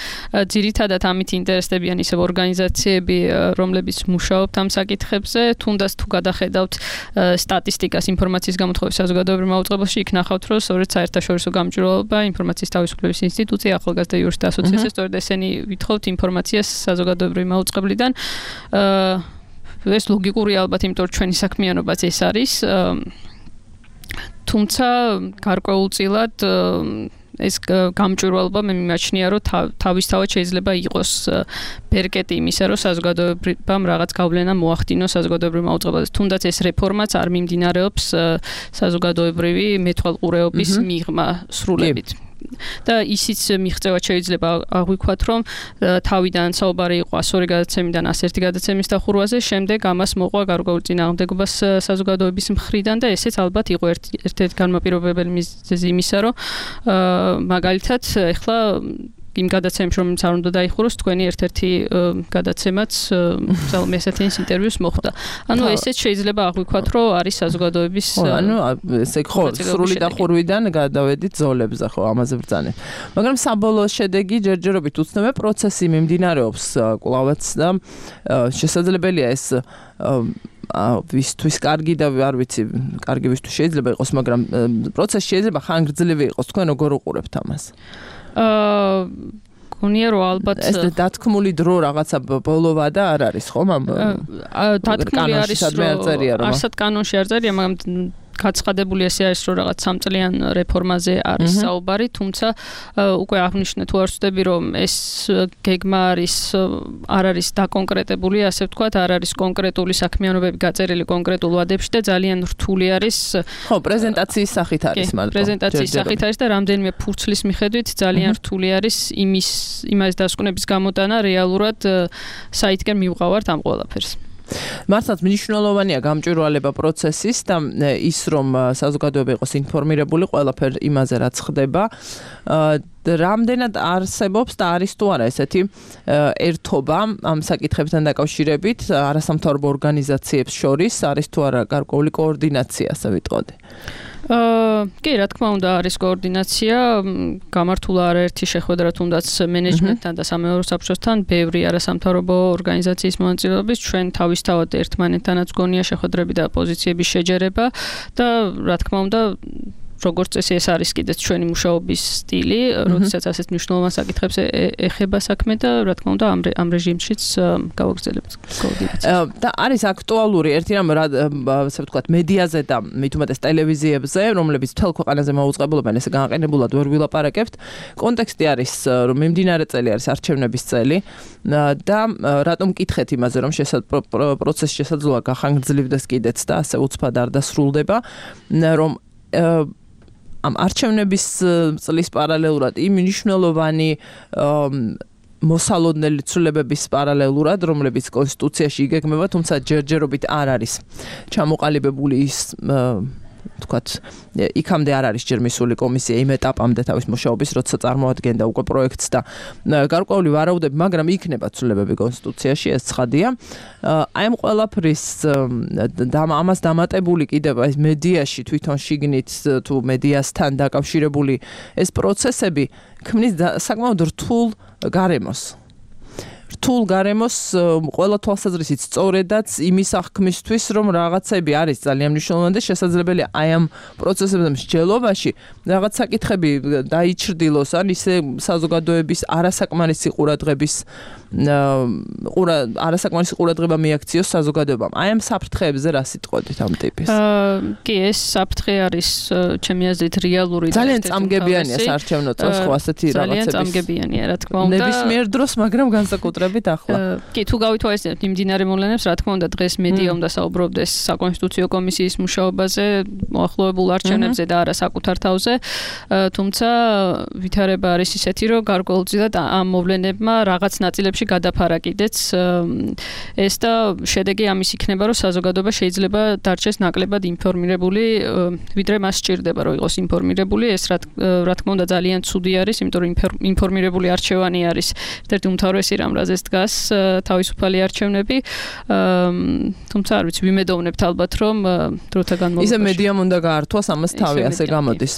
ძირითადად ამით ინტერესდებიან ისევ ორგანიზაციები, რომლებიც მუშაობთ ამ საკითხებზე, თუნდაც თუ გადახედავთ სტატისტიკას ინფორმაციის გამოთხოვების საზოგადოებრივ მაუწყებელში, იქ ნახავთ, რომ სწორედ საერთაშორისო გამჭვირვალობა, ინფორმაციის თავისუფლების ინსტიტუცია, ახალგაზრდა იურისტთა ასოციაცია, სწორედ ესენი ვითხოვთ ინფორმაციას საზოგადოებრივი მაუწყებლიდან. ეს ლოგიკური ალბათ, იმიტომ რომ ჩვენი საქმიანობაც ეს არის. თუმცა გარკვეულწილად ეს გამჭვირვალობა მე მიმაჩნია, რომ თავისთავად შეიძლება იყოს ბერკეტი იმისა, რომ საზოგადოებამ რაღაც გავლენა მოახდინოს საზოგადოებრივ მაუწყებელზე. თუნდაც ეს რეფორმაც არ მიმდინარეობს საზოგადოებრივი მეთვალყურეობის მიღმა სრულებით. და ისიც მიღწევად შეიძლება აღვიქვათ, რომ თავიდან საუბარი იყო ასორი გადაცემიდან ას ერთი გადაცემის დახურვაზე, შემდეგ ამას მოყვა გარკვეული წინააღმდეგობას საზოგადოების მხრიდან და ესეც ალბათ იყო ერთ-ერთი განმაპირობებელი მიზეზი იმისა, რომ მაგალითად ეხლა იმ გადაცემებში, რომელიც არ უნდა დაიხუროს, თქვენი ერთ-ერთი გადაცემაც ზალმე ესეთინის ინტერვიუს მოხდა. ანუ ესეც შეიძლება აღვიქვათ, რომ არის საზოგადოების ანუ ესე ხო, სრული დახურვიდან გადავედით ზოლებზე, ხო, ამაზე ბრძანეთ. მაგრამ საბოლოო შედეგი ჯერჯერობით უცნობია, პროცესი მიმდინარეობს კვლავაც და შესაძლებელია ეს ვისთვის კარგი და არ ვიცი, კარგი ვისთვის შეიძლება იყოს, მაგრამ პროცესი შეიძლება ხანგრძლივი იყოს, თქვენ როგორ უყურებთ ამას? აა გონია რომ ალბათ ეს დათქმული დრო რაღაცა ბოლოვა და არ არის ხომ ამ დათქმული არის რომ არსად კანონში არ წერია, მაგრამ გაცხადებული ესე არის რომ რაღაც სამწლიან რეფორმაზე არის საუბარი, თუმცა უკვე აღნიშნე თუ არ ვწდები რომ ეს გეგმა არის არ არის დაკონკრეტებული, ასე ვთქვათ, არ არის კონკრეტული საქმიანობები გაწერილი კონკრეტულ ვადებში და ძალიან რთული არის. ხო, პრეზენტაციის სახით არის მაგრამ. პრეზენტაციის სახით არის და რამდენიმე ფურცლის მიხედვით ძალიან რთული არის იმის იმას დასკვნების გამოტანა რეალურად საითგან მივყავართ ამ ყველაფერს. მართლაც მნიშვნელოვანია გამჭვირვალება პროცესის და ის რომ საზოგადოება იყოს ინფორმირებული ყველაფერ იმაზე რაც ხდება. რამდენად არსებობს და არის თუ არა ესეთი ერთობა ამ საკითხებთან დაკავშირებით არასამთავრობო ორგანიზაციებს შორის, არის თუ არა გარკვეული კოორდინაცია, ასე ვიტყოდი. აა კი, რა თქმა უნდა, არის კოორდინაცია, გამართულა არაერთი შეხვედრა თუნდაც მენეჯმენტთან და სამეურვეო საბჭოსთან, ბევრი არასამთავრობო ორგანიზაციის მონაწილეობის, ჩვენ თავისთავად ერთმანეთთანაც გონია შეხვედრები და პოზიციების შეჯერება და რა თქმა უნდა როგორც წესი ეს არის კიდეც ჩვენი მუშაობის სტილი, როდესაც ასეთ მნიშვნელოვან საკითხებს ეხება საქმე და რა თქმა უნდა ამ ამ რეჟიმშიც გავაგრძელებთ კოორდინაციას. და არის აქტუალური ერთი რამ, ასე ვთქვათ, მედიაზე და მით უმეტეს ტელევიზიებზე, რომლებიც მთელ ქვეყანაზე მოუწყებულობენ, ესე განაყენებულად ვერ ვილაპარაკებთ. კონტექსტი არის, რომ მიმდინარე წელი არის არჩევნების წელი და რატომ მკითხეთ იმაზე, რომ პროცესი შესაძლოა გახანგრძლივდეს კიდეც და ასე უცბად არ დასრულდება, რომ ამ არჩევნების წლის პარალელურად იმ მნიშვნელოვანი მოსალოდნელი ცვლილებების პარალელურად, რომლებიც კონსტიტუციაში იგეგმება, თუმცა ჯერჯერობით არ არის ჩამოყალიბებული ის ვთქვათ, იქამდე არ არის ჯერ მისული კომისია იმ ეტაპამდე თავის მუშაობის, როცა წარმოადგენდა უკვე პროექტს და გარკვეული ვარაუდები, მაგრამ იქნება ცვლილებები კონსტიტუციაში, ეს ცხადია. აი ამ ყველაფრის ამას დამატებული კიდევ ეს მედიაში თვითონ შიგნით თუ მედიასთან დაკავშირებული ეს პროცესები ქმნის საკმაოდ რთულ გარემოს. რთულ გარემოს ყველა თვალსაზრისით სწორედაც იმის აღქმისთვის, რომ რაღაცები არის ძალიან მნიშვნელოვანი და შესაძლებელია აი ამ პროცესების მსჯელობაში რაღაც საკითხები დაიჩრდილოს, ან ისე საზოგადოების არასაკმარისი ყურადღების ყურა არასაკმარისი ყურადღება მიაქციოს საზოგადოებამ. აი ამ საფრთხეებზე რა სიტყვით ამ ტიპის? აა კი, ეს საფრთხე არის ჩემი აზრით რეალური და ძალიან წამგებიანია საარჩევნო წელს ხო ასეთი რაღაცების. ძალიან წამგებიანია, რა თქმა უნდა. ნებისმიერ დროს, მაგრამ განსაკუთრებით ახლა. კი, თუ გავითვალისწინებთ მიმდინარე მოვლენებს, რა თქმა უნდა, დღეს მედია უნდა საუბრობდეს საკონსტიტუციო კომისიის მუშაობაზე, მოახლოებულ არჩევნებზე და არა საკუთარ თავზე. თუმცა ვითარება არის ისეთი, რომ გარკვეულწილად ამ მოვლენებმა რაღაც ნაწილებში გადაფარა კიდეც ეს და შედეგი ამის იქნება, რომ საზოგადოება შეიძლება დარჩეს ნაკლებად ინფორმირებული, ვიდრე მას სჭირდება, რომ იყოს ინფორმირებული. ეს რა თქმა უნდა ძალიან ცუდი არის, იმიტომ რომ ინფორმირებული არჩევანი არის ერთ-ერთი უმთავრესი რამ, რაზეც დგას თავისუფალი არჩევნები. თუმცა არ ვიცი, ვიმედოვნებთ ალბათ, რომ დროთა განმავლობაში ისე მედიამ უნდა გაართვას ამას თავი, ასე გამოდის.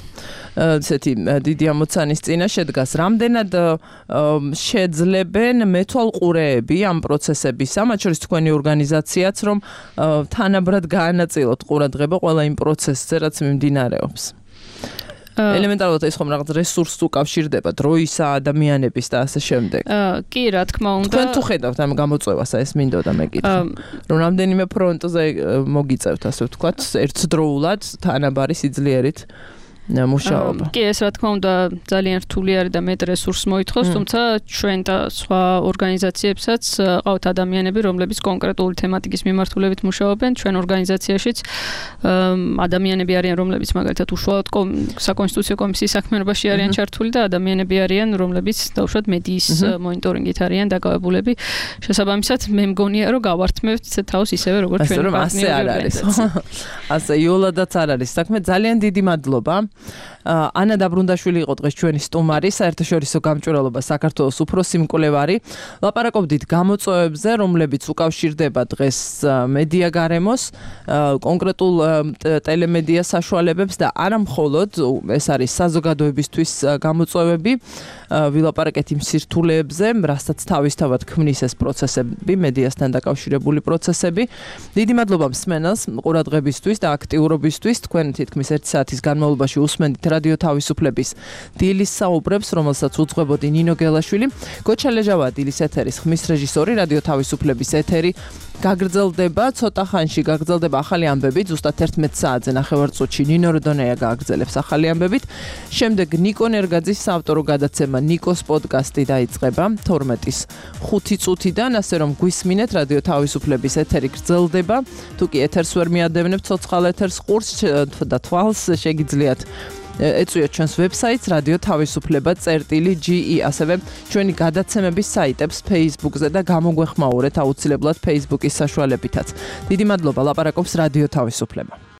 ესეთი დიდი ამოცანის წინა შედგას. რამდენად შეძლებენ მეთვალყურეები ამ პროცესებისა, მათ შორის თქვენი ორგანიზაციაც, რომ თანაბრად გაანაწილოთ ყურადღება ყველა იმ პროცესზე, რაც მიმდინარეობს. ელემენტარულად ეს ხომ რაღაც რესურსს უკავშირდება, დროისა, ადამიანების და ასე შემდეგ. კი, რა თქმა უნდა. თქვენ თუ ხედავთ ამ გამოწვევას, ეს მინდოდა მეკითხა. რომ რამდენიმე ფრონტზე მოგიწევთ, ასე ვთქვათ, ერთდროულად თანაბარი სიძლიერით. მუშაობა. კი, ეს რა თქმა უნდა ძალიან რთული არის და მეტ რესურსს მოითხოვს, თუმცა ჩვენ და სხვა ორგანიზაციებსაც ყავთ ადამიანები, რომლებიც კონკრეტული თემატიკის მიმართულებით მუშაობენ. ჩვენ ორგანიზაციაშიც ადამიანები არიან, რომლებიც მაგალითად უშუალოდ საკონსტიტუციო კომისიის საქმიანობაში არიან ჩართული და ადამიანები არიან, რომლებიც დაუშვათ მედიის მონიტორინგით არიან დაკავებულები. შესაბამისად, მე მგონია, რომ გავართმევთ თავს ისევე, როგორც ჩვენი პარტნიორი ორგანიზაცია. ასე იოლადაც არ არის საქმე. ძალიან დიდი მადლობა. ანა დაბრუნდაშვილი იყო დღეს ჩვენი სტუმარი, საერთაშორისო გამჭვირვალობა საქართველოს უფროსი მკვლევარი. ლაპარაკობდით გამოწვევებზე, რომლებიც უკავშირდება დღეს მედია გარემოს, კონკრეტულ ტელემედია საშუალებებს და არა მხოლოდ ეს არის საზოგადოებისთვის გამოწვევები, ვილაპარაკეთ იმ სირთულეებზე, რასაც თავისთავად ქმნის ეს პროცესები, მედიასთან დაკავშირებული პროცესები. დიდი მადლობა მსმენელს ყურადღებისთვის და აქტიურობისთვის. თქვენ თითქმის ერთი საათის განმავლობაში უსმენთ რადიო თავისუფლების დილის საუბრებს, რომელსაც უძღვებოდი ნინო გელაშვილი. გოჩა ლეჟავა დილის ეთერის ხმის რეჟისორი, რადიო თავისუფლების ეთერი გაგრძელდება, ცოტა ხანში გაგრძელდება ახალი ამბები, ზუსტად ერთმეტ საათზე ნახევარწუთში ნინო როდონეა გააგრძელებს ახალი ამბებით. შემდეგ ნიკო ნერგაძის საავტორო გადაცემა ნიკოს პოდკასტი დაიწყება თორმეტის ხუთი წუთიდან, ასე რომ გვისმინეთ რადიო თავისუფლების ეთერი გრძელდება. თუ კი ეთერს ვერ მიადევნებთ ცოცხალ ეთერს ყურს და თვალს შეგიძლიათ ეწვიოთ ჩვენს ვებსაიტს რადიო თავისუფლება წერტილი ჯი ი, ასევე ჩვენი გადაცემების საიტებს Facebook-ზე და გამოგვეხმაურეთ აუცილებლად Facebook-ის საშუალებითაც. დიდი მადლობა, ლაპარაკობს რადიო თავისუფლება.